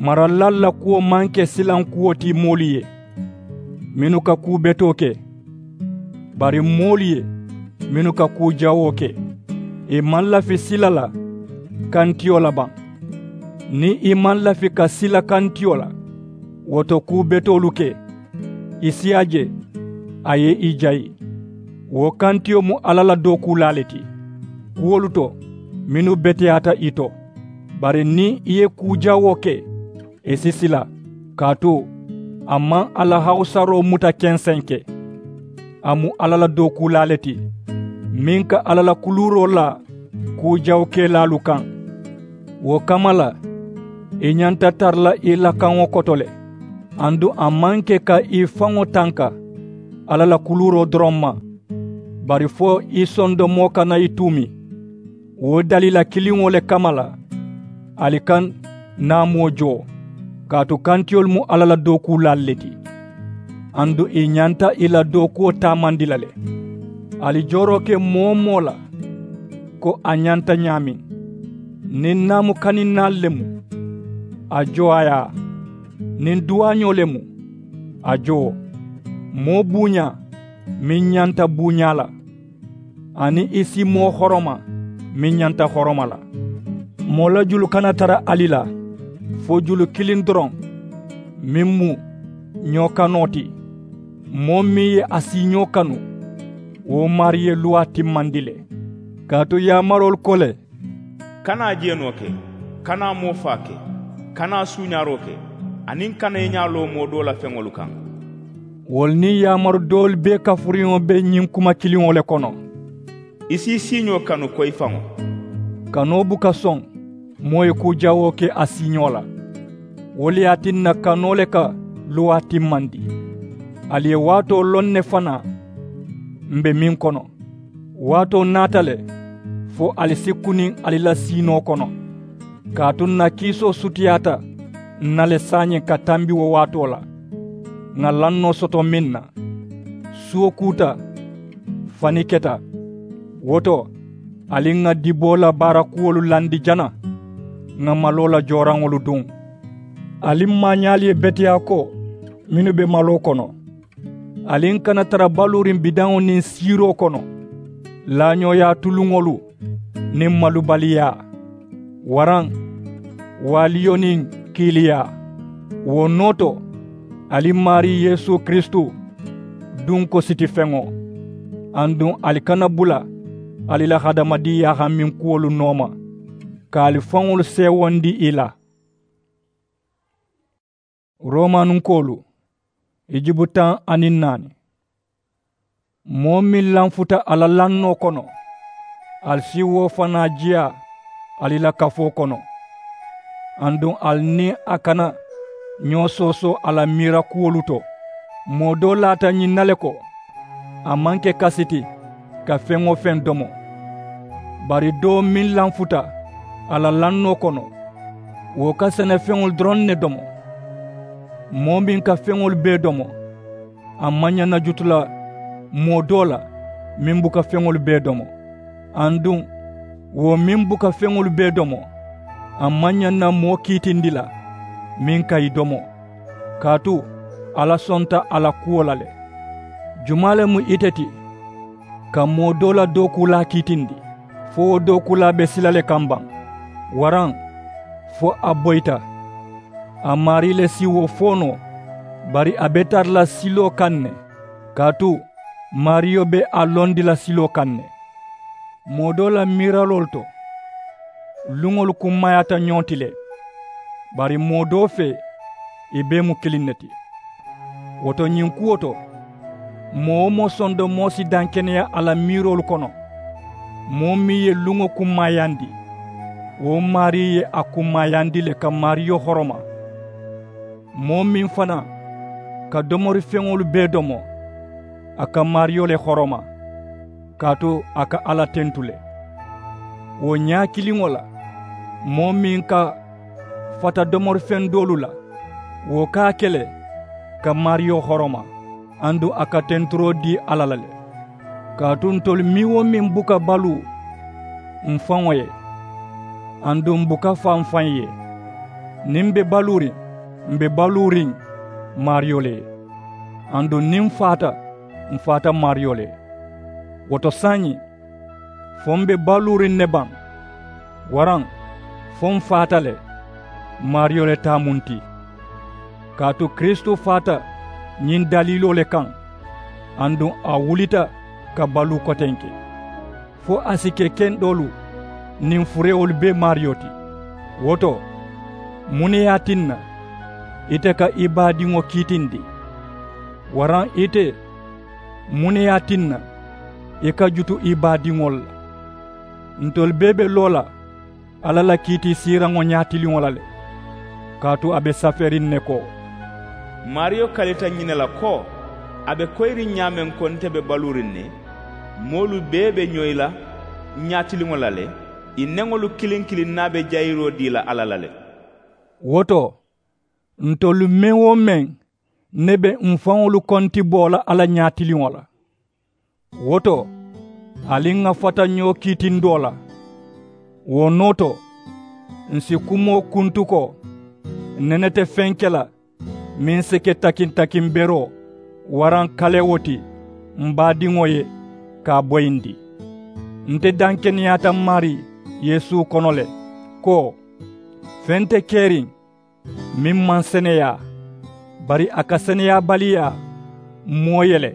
Maralilaalu la kuwo maŋ ke silaŋ kuwo ti moolu ye mennu ka kuu betoo ke, bari moolu ye mennu ka kuu jawoo ke. Ì maŋ lafi sila la kantiyo la baŋ. Niŋ ì maŋ lafi ka sila kantiyo la, wo to kuu betoolu ke, ì si a je, a ye ì jayi. Wo kantiyo mu alla la dookuulaa le ti kuwolu to mennu beteyaata ì to. Bari niŋ ì ye kuu jawoo ke, ì si sila, kaatu a maŋ a la hawusaroo muta kensenke. A mu alla la dookuulaa le ti meŋ ka alla la kuluuroo laa kuu jawukelaalu kaŋ. Wo kamma la, ì ñanta tara la ì la kaŋo koto le. Aduŋ a maŋ ke ka ì faŋo tanka alla la kuluuroo doroŋ ma, bari fo ì sondomoo kana ì tuumi. Wo daliila kiliŋo le kamma la, ali ka naamoo joo, kaatu kantiyolu mu alla la dookuulaalu le ti. Aduŋ ì ñanta ì la dookuwo taamandi la le. Ali jooroo ke moo-wo-moo la ko a ñanta ñaameŋ. Niŋ naamu kaninnaalu le mu, a joo a ye a. Niŋ duwaañoo le mu, a joo. Moo buuñaa meŋ ñanta buuñaa la, aniŋ ì si moo horoma meŋ ñanta horoma la. Moo la julu kana tara ali la, fo julu kiliŋ doroŋ, meŋ mu ñoo kanoo ti. Moo meŋ ye a siiñoo kanu, wo maarii ye luwaa timmandi le. Kaatu yaamaroolu ko le, kana jeenoo ke, kana moo faa ke, kana suuñaaroo ke, aniŋ kana i ñaa loo moo doo la feŋolu kaŋ. Wolu niŋ yaamaru doolu bee kafuriŋo be ñiŋ kuma kiliŋo le kono. I si i siiñoo kanu ko i faŋo. Kanoo buka soŋ moo ye kuu jawoo ke a siiñoo la. Wo le ye a tinna kanoo le ka luwaa timmandi. Ali ye waatoo loŋ ne fanaa, m be meŋ kono. Waatoo naata le fo ali si kuniŋ ali la siinoo kono. Kaatu n na kiisoo sutiyaata n na le saayiŋ ka tambi wo waatoo la, ŋà lannoo soto meŋ na. Suwo kuuta, fani keta. Wo to, ali ŋà diboo la baara kuwolu landi jana, ŋà maloo la jooraŋolu duŋ. Ali maañaalu ye beteyaa ko mennu be maloo kono. Ali kana tara baluuriŋ bidaŋo niŋ siiroo kono, laañooyaa tuluŋolu niŋ malubaliyaa, waraŋ waaliyo niŋ kiiliyaa. Wo noo to, ali maarii yeesu kiristu duŋ ko sitifeŋo. Aduŋ ali kana bula ali la hadamadiŋ yaahaminkuwolu nooma, ka ali faŋolu seewondi ì la. Romanunkoolu, ijibu taŋ aniŋ naani. Moo meŋ lanfuta a la lannoo kono, ali si wo fanaa jiyaa ali la kafoo kono. Aduŋ ali niŋ a kana ñoo soosoo a la miira kuwolu to. Moo doo laata ñiŋ na le ko, a maŋ ke kasi ti ka feŋ-wo-feŋ domo. Bari doo meŋ lanfuta a la lannoo kono, wo ka senefeŋolu doroŋ ne domo. Moo meŋ ka feŋolu bee domo, a maŋ ñaŋ na jutu la moo doo la meŋ buka feŋolu bee domo. Aduŋ wo meŋ buka feŋolu bee domo, a maŋ ñaŋ na moo kiitindi la meŋ ka ì domo. Kaatu alla sonta a la kuwo la le. Jumaa le mu ite ti ka moo doo la dookuulaa kiitindi? Fo wo dookuulaa be sila le kaŋ baŋ, waraŋ fo a boyita. A maarii le si wo fo noo, bari a be tara la siloo kaŋ ne. Kaatu maariyo be a londi la siloo kaŋ ne. Moo doo la miiraloolu to luŋolu kummaayaata ñoo ti le, bari moo doo fee ì bee mu kiliŋ ne ti. Wo to ñiŋ kuwo to, moo-wo-moo sondomoo si dankeneyaa a la miiroolu kono. Moo meŋ ye luŋo kummaayandi, wo maarii ye a kummaayandi le ka maariyo horoma. Moo meŋ fanaa ka domorifeŋolu bee domo, a ka maariyo le horoma, kaatu a ka alla tentu le. Wo ñaa kiliŋo la, moo meŋ ka fata domorifeŋ doolu la, wo ka a ke le ka maariyo horoma, aduŋ a ka tenturoo dii alla la le. Kaatu ntolu meŋ-wo-meŋ buka baluu m faŋo ye, aduŋ m buka faa m faŋ ye. Niŋ m be baluuriŋ, m be baluuriŋ maariyo le ye, aduŋ niŋ m faata, m faata maariyo le ye. Wo to saayiŋ, fo m be baluuriŋ ne baŋ, waraŋ fo m faata le, maariyo le taa mu nti. Kaatu kiristu faata ñiŋ daliiloo le kaŋ, aduŋ a wulita ka baluu kotenke, fo a si ke kendoolu niŋ furewolu bee maariyo ti. Wo to, muŋ ne ye a tinna ite ka i baadiŋo kiitindi? Waraŋ ite, muŋ ne ye a tinna i ka jutu i baadiŋolu la? Ntolu bee be loo la alla la kiitiisiiraŋo ñaatiliŋo la le. Kaatu a be saferiŋ ne ko, maariyo kalita ñiŋ ne la ko, a be koyiriŋ ñaameŋ ko nte be baluuriŋ ne, moolu bee be ñoyi la ñaatiliŋo la le, ì neŋolu kiliŋ kiliŋ naa be jayiroo dii la alla la le. Wo to, ntolu meŋ-wo-meŋ ne be m faŋolu kontiboo la alla ñaatiliŋo la. Wo to, ali ŋà fata ñoo kiitindoo la. Wo noo to, ǹ si kumoo kuntu ko, nene te feŋ ke la meŋ si ke takiŋ-takiŋ beroo waraŋ kalewo ti m baadiŋo ye ka a boyindi. Nte dankeneyaata m maarii yeesu kono le, ko feŋ te keriŋ meŋ maŋ seneyaa, bari a ka seneyaabaliyaa moo ye le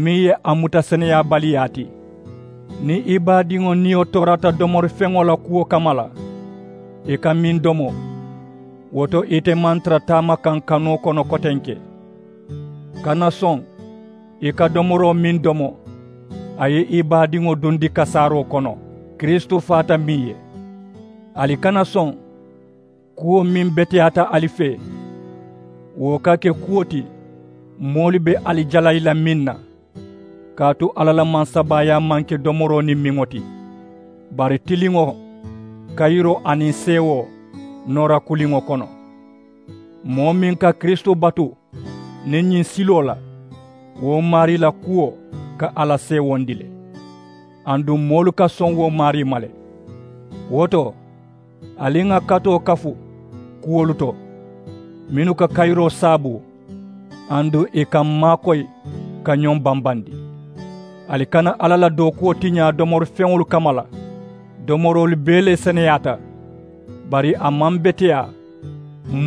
meŋ ye a muta seneyaabaliyaa ti. Niŋ i baadiŋo niyo toorata domorifeŋo la kuwo kamma la, i ka meŋ domo, wo to ite maŋ tara taama kaŋ kanoo kono kotenke. Kana soŋ i ka domoroo meŋ domo, a ye i baadiŋo dundi kasaaroo kono kiristu faata meŋ ye. Ali kana soŋ kuwo meŋ beteyaata ali fee, wo ka ke kuwo ti Moolu be ali jalayi la meŋ na, kaatu alla la mansabaayaa maŋ ke domoroo niŋ miŋo ti, bari tiliŋo, kayiroo aniŋ seewoo noora kuliŋo kono. Moo meŋ ka kiristu batu niŋ ñiŋ siloo la, wo maarii la kuwo ka alla seewondi le. Aduŋ moolu ka soŋ wo maarii ma le. Wo to, ali ŋà katoo kafu kuwolu to mennu ka kayiroo saabu, aduŋ ì ka m maakoyi ka ñoŋ bambandi. Ali kana alla la dookuwo tiñaa domori feŋolu kamma la. Domoroolu bee le seneyaata, bari a maŋ beteyaa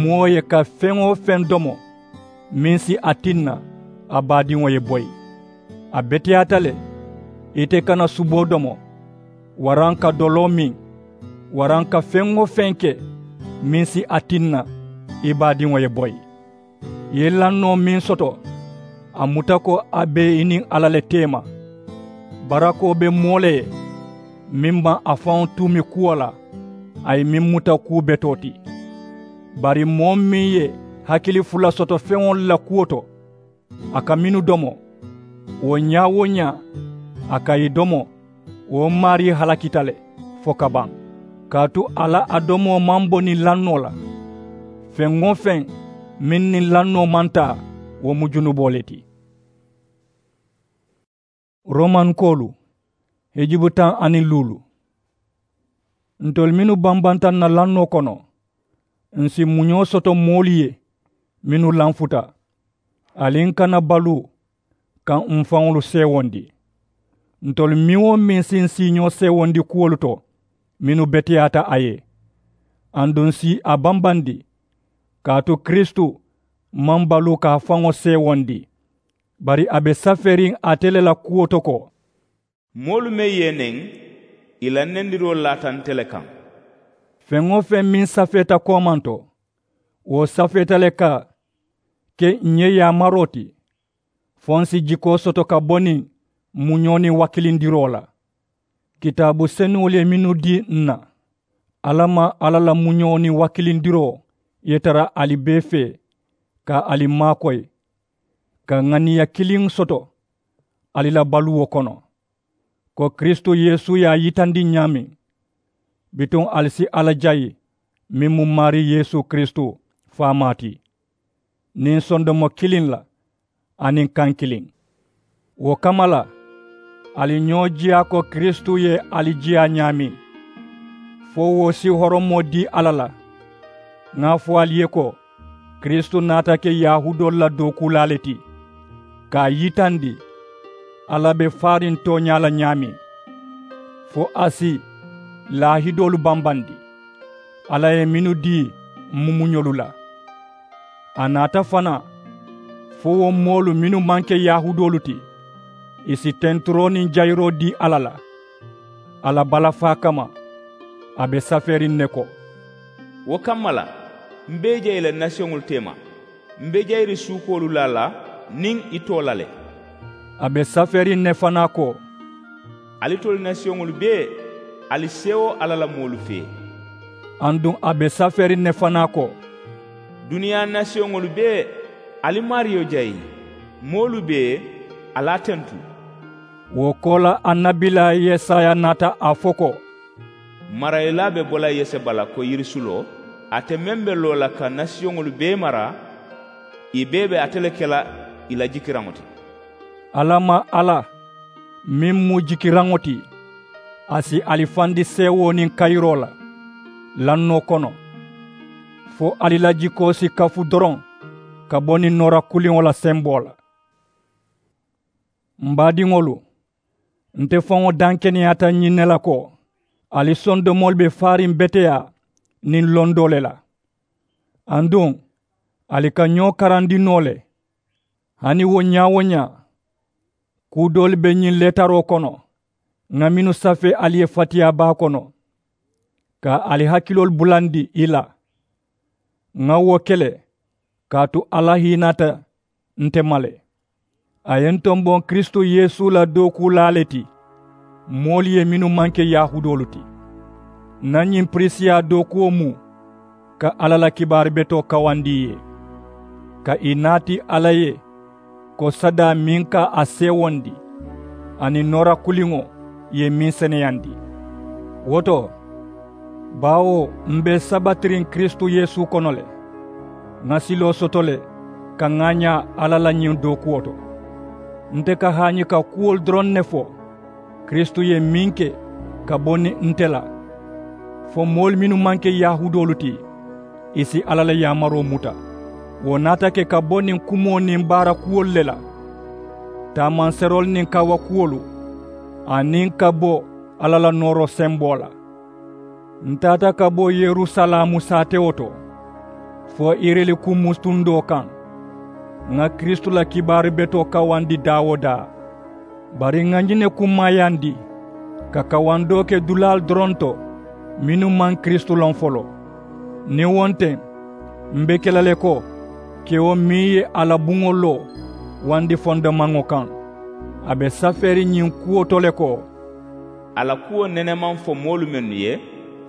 moo ye ka feŋ-wo-feŋ domo meŋ si a tinna a baadiŋo ye boyi. A beteyaata le ite kana suboo domo, waraŋ ka doloo miŋ, waraŋ ka feŋ-wo-feŋ ke meŋ si a tinna i baadiŋo ye boyi. I ye lannoo meŋ soto, a muta ko a be i niŋ alla le teema. Barakoo be moo le ye meŋ maŋ a faŋo tuumi kuwo la, a ye meŋ muta kuu betoo ti. Bari moo meŋ ye hakili fula soto feŋolu la kuwo to, a ka mennu domo, wo ñaa-wo-ñaa a ka ì domo, wo maarii halakita le fo ka baŋ. Kaatu a la a domoo maŋ bo niŋ lannoo la. Feŋ-wo-feŋ meŋ niŋ lannoo maŋ taa, wo mu junuboo le ti. Romankoolu, hijubu taŋ aniŋ luulu. Ntolu mennu bambanta ǹ na lannoo kono, ǹ si muñoo soto moolu ye mennu lanfuta. Ali ǹ kana baluu ka m̀ faŋolu seewondi. Ntolu meŋ-wo-meŋ si ǹ siiñoo seewondi kuwolu to mennu beteyaata a ye, aduŋ ǹ si a bambandi. Kaatu kiristu maŋ baluu ka a faŋo seewondi, bari a be safeeriŋ ate le la kuwo to ko, moolu meŋ ye neŋ, ì la nendiroo laata nte le kaŋ. Feŋ-wo-feŋ meŋ safeeta koomanto, wo safeeta le ka ke ǹ ye yaamaroo ti, fo ǹ si jikoo soto ka bo niŋ muñoo niŋ wakilindiroo la. Kitaabu senuŋolu ye mennu dii ǹ na, alla maŋ alla la muñoo niŋ wakilindiroo ye tara ali bee fee, ka ali maakoyi, ka ŋaniya kiliŋ soto ali la baluwo kono, ko kiristu yeesu ye a yitandi ñaameŋ, bituŋ ali si alla jayi meŋ mu maarii yeesu kiristu faamaa ti, niŋ sondomo kiliŋ la aniŋ kaŋ kiliŋ. Wo kamma la, ali ñoo jiyaa ko kiristu ye ali jiyaa ñaameŋ, fo wo si horomoo dii alla la. Ŋà a fo ali ye ko, kiristu naata ke yahuudoolu la dookuulaa le ti, ka a yitandi alla be faariŋ tooñaa la ñaameŋ, fo a si laahidoolu bambandi alla ye mennu dii mumuñolu la. A naata fanaa fo wo moolu mennu maŋ ke yahuudoolu ti, ì si tenturoo niŋ jayiroo dii alla la. A la balafaa kamma, a be safeeriŋ ne ko, wo kamma la, m be i jayi la nasiyoŋolu teema, m be jayiri suukoolu la a la niŋ i too la le. A be safeeriŋ ne fanaa ko, alitolu nasiyoŋolu bee, ali seewoo alla la moolu fee. Aduŋ a be safeeriŋ ne fanaa ko, duniyaa nasiyoŋolu bee, ali maariyo jayi, moolu bee, ali a tentu. Wo koolaa annabilaa yesaya naata a fo ko, marayilaa be bo la yeseba la ko yirisuloo, ate meŋ be loo la ka nasiyoŋolu bee mara, ì bee be ate le ke la ì la jikiraŋo ti. Alla maŋ alla meŋ mu jikiraŋo ti, a si ali fandi seewoo niŋ kayiroo la lannoo kono, fo ali la jikoo si kafu doroŋ ka bo niŋ noora kuliŋo la semboo la. M baadiŋolu, nte faŋo dankeneyaata ñiŋ ne la ko, ali sondomoolu be faariŋ beteyaa niŋ londoo le la. Aduŋ ali ka ñoo karandi noo le. Hani wo ñaa-wo-ñaa, kuu doolu be ñiŋ leetaroo kono ŋà mennu safee ali ye fatiyaa baa kono, ka ali hakiloolu bulandi i la. Ŋà wo ke le kaatu alla hiinaata nte ma le. A ye n tomboŋ kiristu yeesu la dookuulaa le ti moolu ye mennu maŋ ke yahuudoolu ti. N na ñiŋ pirisiyaa dookuwo mu ka alla la kibaari betoo kawandi i ye, ka i naati alla ye ko sadaa meŋ ka a seewondi aniŋ noora kuliŋo ye meŋ seneyandi. Wo to, baawo m be sabatiriŋ kiristu yeesu kono le, ŋà siloo soto le ka ŋaañaa alla la ñiŋ dookuwo to. Nte ka haañi ka kuwolu doroŋ ne fo kiristu ye meŋ ke ka bo niŋ nte la, fo moolu mennu maŋ ke yahuudoolu ti ì si alla la yaamaroo muta. Wo naata ke ka bo niŋ kumoo niŋ baara kuwolu le la, taamanseroolu niŋ kaawakuwolu, aniŋ ka bo alla la nooroo semboo la. N taata ka bo yerusalaamu saatewo to fo irilikummu tundoo kaŋ, ŋà kiristu la kibaaru betoo kawandi daa-wo-daa. Bari ŋà ñiŋ ne kummaayandi ka kawandoo ke dulaalu doroŋ to mennu maŋ kiristu loŋ foloo. Niŋ wo nteŋ, m be ke la le ko kewo meŋ ye a la buŋo loo wandi fondomaŋo kaŋ, a be safeeriŋ ñiŋ kuwo to le ko, a la kuwo nenemaŋ fo moolu mennu ye,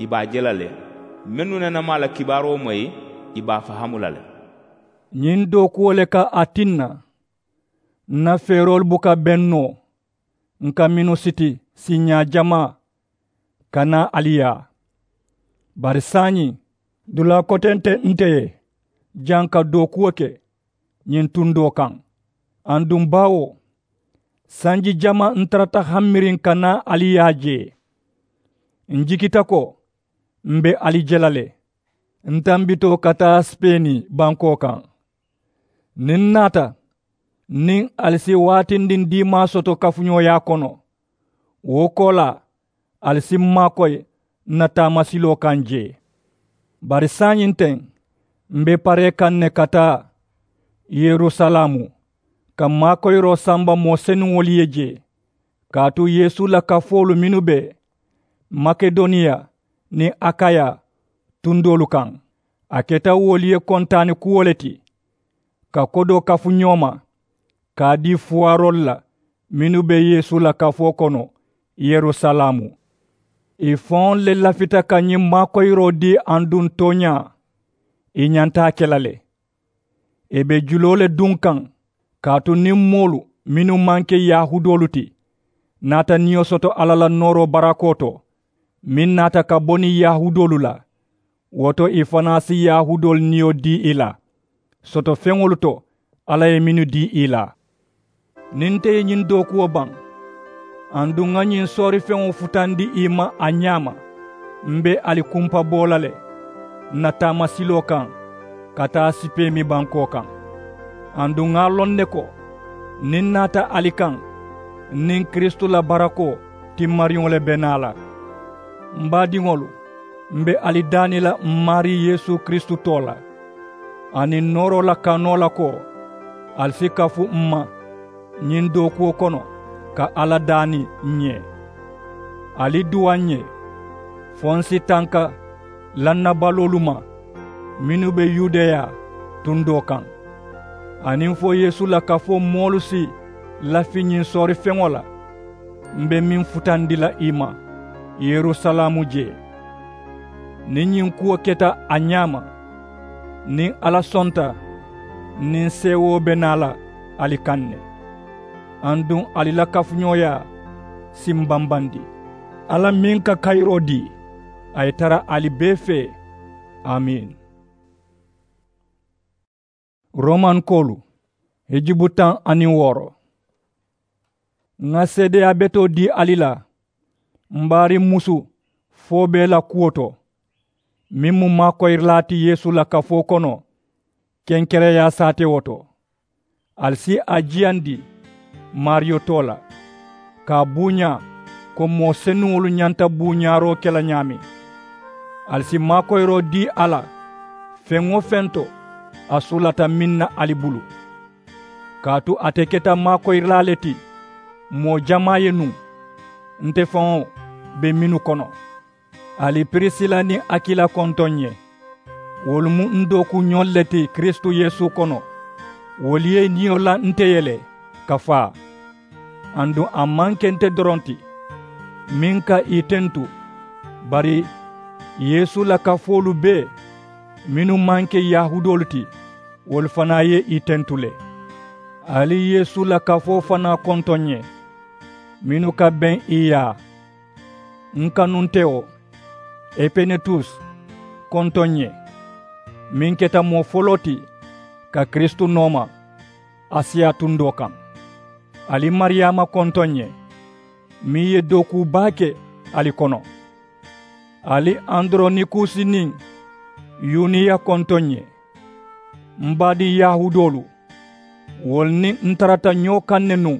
ì be a je la le, mennu nene maŋ a la kibaaroo moyi, ì be a fahaamu la le. Ñiŋ dookuwo le ka a tinna n na feeroolu buka beŋ noo, n ka mennu siti siiñaa jamaa ka naa ali yaa. Bari saayiŋ, dulaa kote nte nte ye jaŋ ka dookuwo ke ñiŋ tundoo kaŋ. Aduŋ baawo sanji jamaa n tarata hammiriŋ ka naa ali yaa jee, n jikita ko m be ali je la le. N tambitoo ka taa sipeeni bankoo kaŋ, niŋ n naata, niŋ ali si waatindindiimaa soto kafuñooyaa kono, wo koolaa ali si m maakoyi n na taamasiloo kaŋ jee. Bari saayiŋ teŋ, m be paree kaŋ ne ka taa yerusalaamu ka maakoyiroo samba moo senuŋolu ye jee, kaatu yeesu la kafoolu mennu be makedoniya niŋ akaya tundoolu kaŋ, a keta wolu ye kontaani kuwo le ti ka kodoo kafu ñoo ma, ka a dii fuwaaroolu la mennu be yeesu la kafoo kono yerusalaamu. Ì faŋolu le lafita ka ñiŋ maakoyiroo dii aduŋ tooñaa ì ñanta a ke la le. Ì be juloo le duŋ kaŋ, kaatu niŋ moolu mennu maŋ ke yahuudoolu ti naata niyo soto alla la nooroo barakoo to, meŋ naata ka bo niŋ yahuudoolu la, wo to ì fanaa si yahuudoolu niyo dii ì la soto feŋolu to alla ye mennu dii ì la. Niŋ nte ye ñiŋ dookuwo baŋ, aduŋ ŋa ñiŋ soorifeŋo futandi ì ma a ñaama, m be ali kumpa boo la le n na taamasiloo kaŋ ka taa sipeemi bankoo kaŋ. Aduŋ ŋa a loŋ ne ko niŋ n naata ali kaŋ, n niŋ kiristu la barakoo timmariŋo le be naa la. M baadiŋolu, m be ali daani la m maarii yeesu kiristu too la aniŋ nooroo la kanoo la ko, ali si kafu m ma ñiŋ dookuwo kono ka alla daani ǹ ye. Ali duwaa ǹ ye fo n si tanka lannabaloolu ma mennu be yudeya tundoo kaŋ, aniŋ fo yeesu la kafoo moolu si lafi ñiŋ soorifeŋo la m be meŋ futandi la ì ma yerusalaamu jee. Niŋ ñiŋ kuwo keta a ñaama, niŋ alla sonta, n niŋ seewoo be naa la ali kaŋ ne. Aduŋ ali la kafuñooyaa si m bambandi. Alla meŋ ka kayiroo dii, a ye tara ali bee fee. Amiin. Romankoolu, hijubu taŋ aniŋ wooro. Ŋa seedeyaa betoo dii ali la m baariŋ musu foo bee la kuwo to, meŋ mu maakoyirilaa ti yeesu la kafoo kono kenkereyaa saatewo to. Ali si a jiyandi maariyo too la, ka a buuñaa ko moo senuŋolu ñanta buuñaaroo ke la ñaameŋ. Ali si maakoyiroo dii a la feŋ-wo-feŋ to a sulata meŋ na ali bulu. Kaatu ate keta maakoyirilaa le ti moo jamaa ye nuŋ, nte faŋo be mennu kono. Ali pirisila niŋ akila kontoŋ ǹ ye. Wolu mu n dookuuñolu le ti kiristu yeesu kono. Wolu ye ì niyo la nte ye le ka faa. Aduŋ a maŋ ke nte doroŋ ti meŋ ka ì tentu, bari yeesu la kafoolu bee mennu maŋ ke yahuudoolu ti, wolu fanaa ye ì tentu le. Ali yeesu la kafoo fanaa kontoŋ ǹ ye mennu ka beŋ i yaa. N kanuntewo epenetus kontoŋ ǹ ye, meŋ keta moo foloo ti ka kiristu nooma asiya tundoo kaŋ. Ali mariyaama kontoŋ ǹ ye, meŋ ye dookuu baa ke ali kono. Ali andoronikusi niŋ yuniya kontoŋ ǹ ye. M baadiŋ yahuudoolu, wolu niŋ n tarata ñoo kaŋ ne nuŋ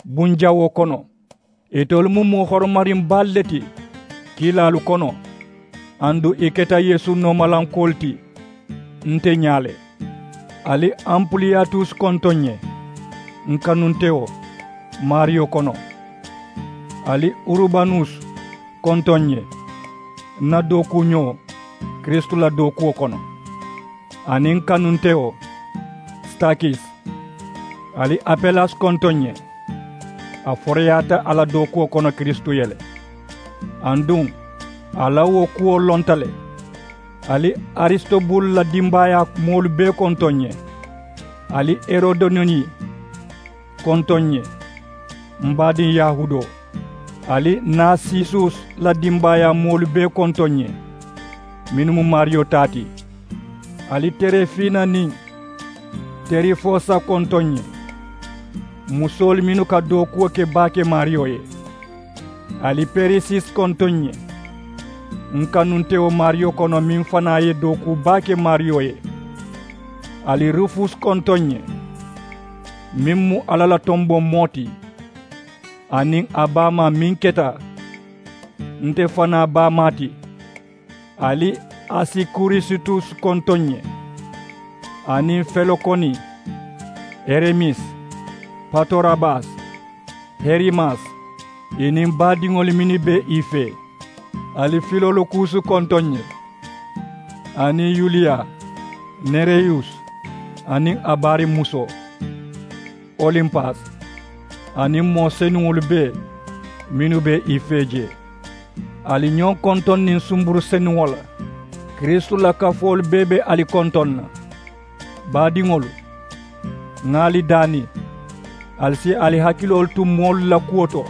bunjawoo kono. Itolu mu moo horomariŋ baalu le ti kiilaalu kono, aduŋ ì keta yeesu noomalankoolu ti. Nte ñaa le. Ali ampuliyatusi kontoŋ ǹ ye, n kanuntewo maariyo kono. Ali urubanusi kontoŋ ǹ ye, n na dookuuñoo kiristu la dookuwo kono, aniŋ n kanuntewo sitakisi. Ali apelasi kontoŋ ǹ ye, a foroyaata a la dookuwo kono kiristu ye le. Aduŋ a la wo kuwo lonta le. Ali arisitobulu la dimbaayaa moolu bee kontoŋ ǹ ye. Ali herodoniyi kontoŋ ǹ ye, m baadiŋ yahuudoo. Ali narsisus la dimbaayaa moolu bee kontoŋ ǹ ye, mennu mu maariyo taa ti. Ali terefina niŋ terifosa kontoŋ ǹ ye, musoolu mennu ka dookuwo ke baake maariyo ye. Ali perisis kontoŋ ǹ ye, n kanuntewo maariyo kono, meŋ fanaa ye dookuu baake maariyo ye. Ali rufus kontoŋ ǹ ye, meŋ mu alla la tomboŋ moo ti, aniŋ a baamaa meŋ keta nte fanaa baamaa ti. Ali asikurisitus kontoŋ ǹ ye, aniŋ felokoni, heremis, patorabas, herimas, ì niŋ baadiŋolu mennu be ì fee. Ali filolokusu kontoŋ ǹ ye, aniŋ yuliya, nereyus, aniŋ a baariŋ musoo, olimpas, aniŋ moo senuŋolu bee mennu be ì fee jee. Ali ñoo kontoŋ niŋ sumburu senuŋo la. Kiristu la kafoolu bee be ali kontoŋ na. Baadiŋolu, ŋà ali daani, ali si ali hakiloolu tu moolu la kuwo to,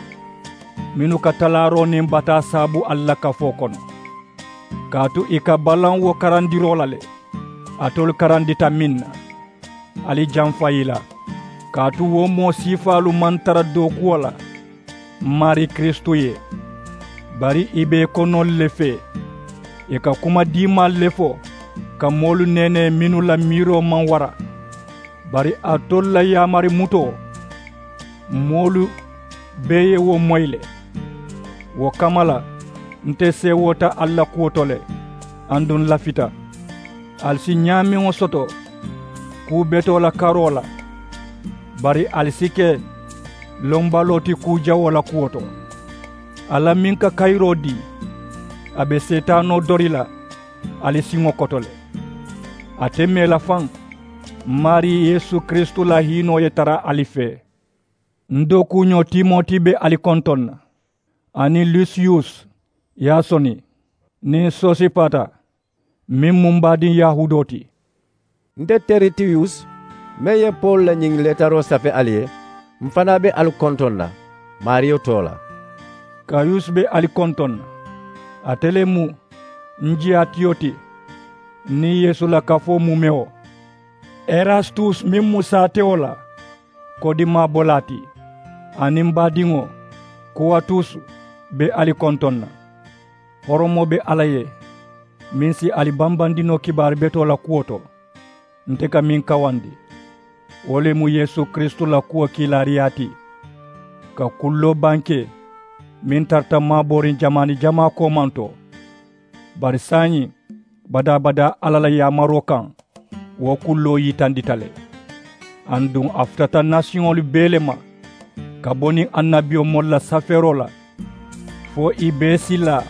mennu ka talaaroo niŋ bataa saabu ali la kafoo kono. Kaatu ì ka balaŋ wo karandiroo la le, alitolu karandita meŋ na, ali jamfa ì la. Kaatu wo moo siifaalu maŋ tara dookuwo la m maarii kiristu ye, bari ì be ì konoolu le fee. Ì ka kuma diimaalu le fo ka moolu neenee mennu la miiroo maŋ wara. Bari alitolu la yaamari mutoo, moolu bee ye wo moyi le. Wo kamma la, nte seewoota ali la kuwo to le, aduŋ n lafita. Ali si ñaameŋo soto kuu betoo la karoo la, bari ali si ke lombaloo ti kuu jawoo la kuwo to. Alla meŋ ka kayiroo dii, a be seetaanoo dori la ali siŋo koto le. Ate mee la faŋ, m maarii yeesu kiristu la hiinoo ye tara ali fee. N dookuuñoo timoti be ali kontoŋ na, aniŋ lusiyus, yasoni, niŋ sosipata, meŋ mu m baadiŋ yahuudoo ti. Nte teritiyus, meŋ ye pawulu la ñiŋ leetaroo safe ali ye, m fanaa be ali kontoŋ na maariyo too la. Kayus be ali kontoŋ na, ate le mu n jiyaatiyo ti, niŋ yeesu la kafoo muumewo. Erastus meŋ mu saatewo la kodimaa bolaa ti, aniŋ m baadiŋo kuwatus be ali kontoŋ na. Horomoo be alla ye, meŋ si ali bambandi noo kibaari betoo la kuwo to, nte ka meŋ kawandi. Wo le mu yeesu kiristu la kuwo kiilaariyaa ti, ka kulloo bankee meŋ tarata maabooriŋ jamaani jamaa koomaŋ to. Bari saayiŋ, badaa-badaa alla la yaamaroo kaŋ, wo kulloo yitandita le. Aduŋ a futata nasiyoŋolu bee le ma, ka bo niŋ annabiyomoolu la safeeroo la, fo ì bee si laa,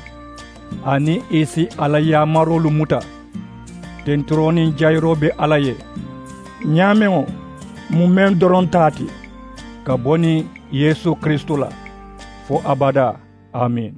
aniŋ ì si a la yaamaroolu muta. Tenturoo niŋ jayiroo be alla ye, ñaameŋo mu meŋ doroŋ taa ti, ka bo niŋ yeesu kiristu la, fo abadaa. Amiin.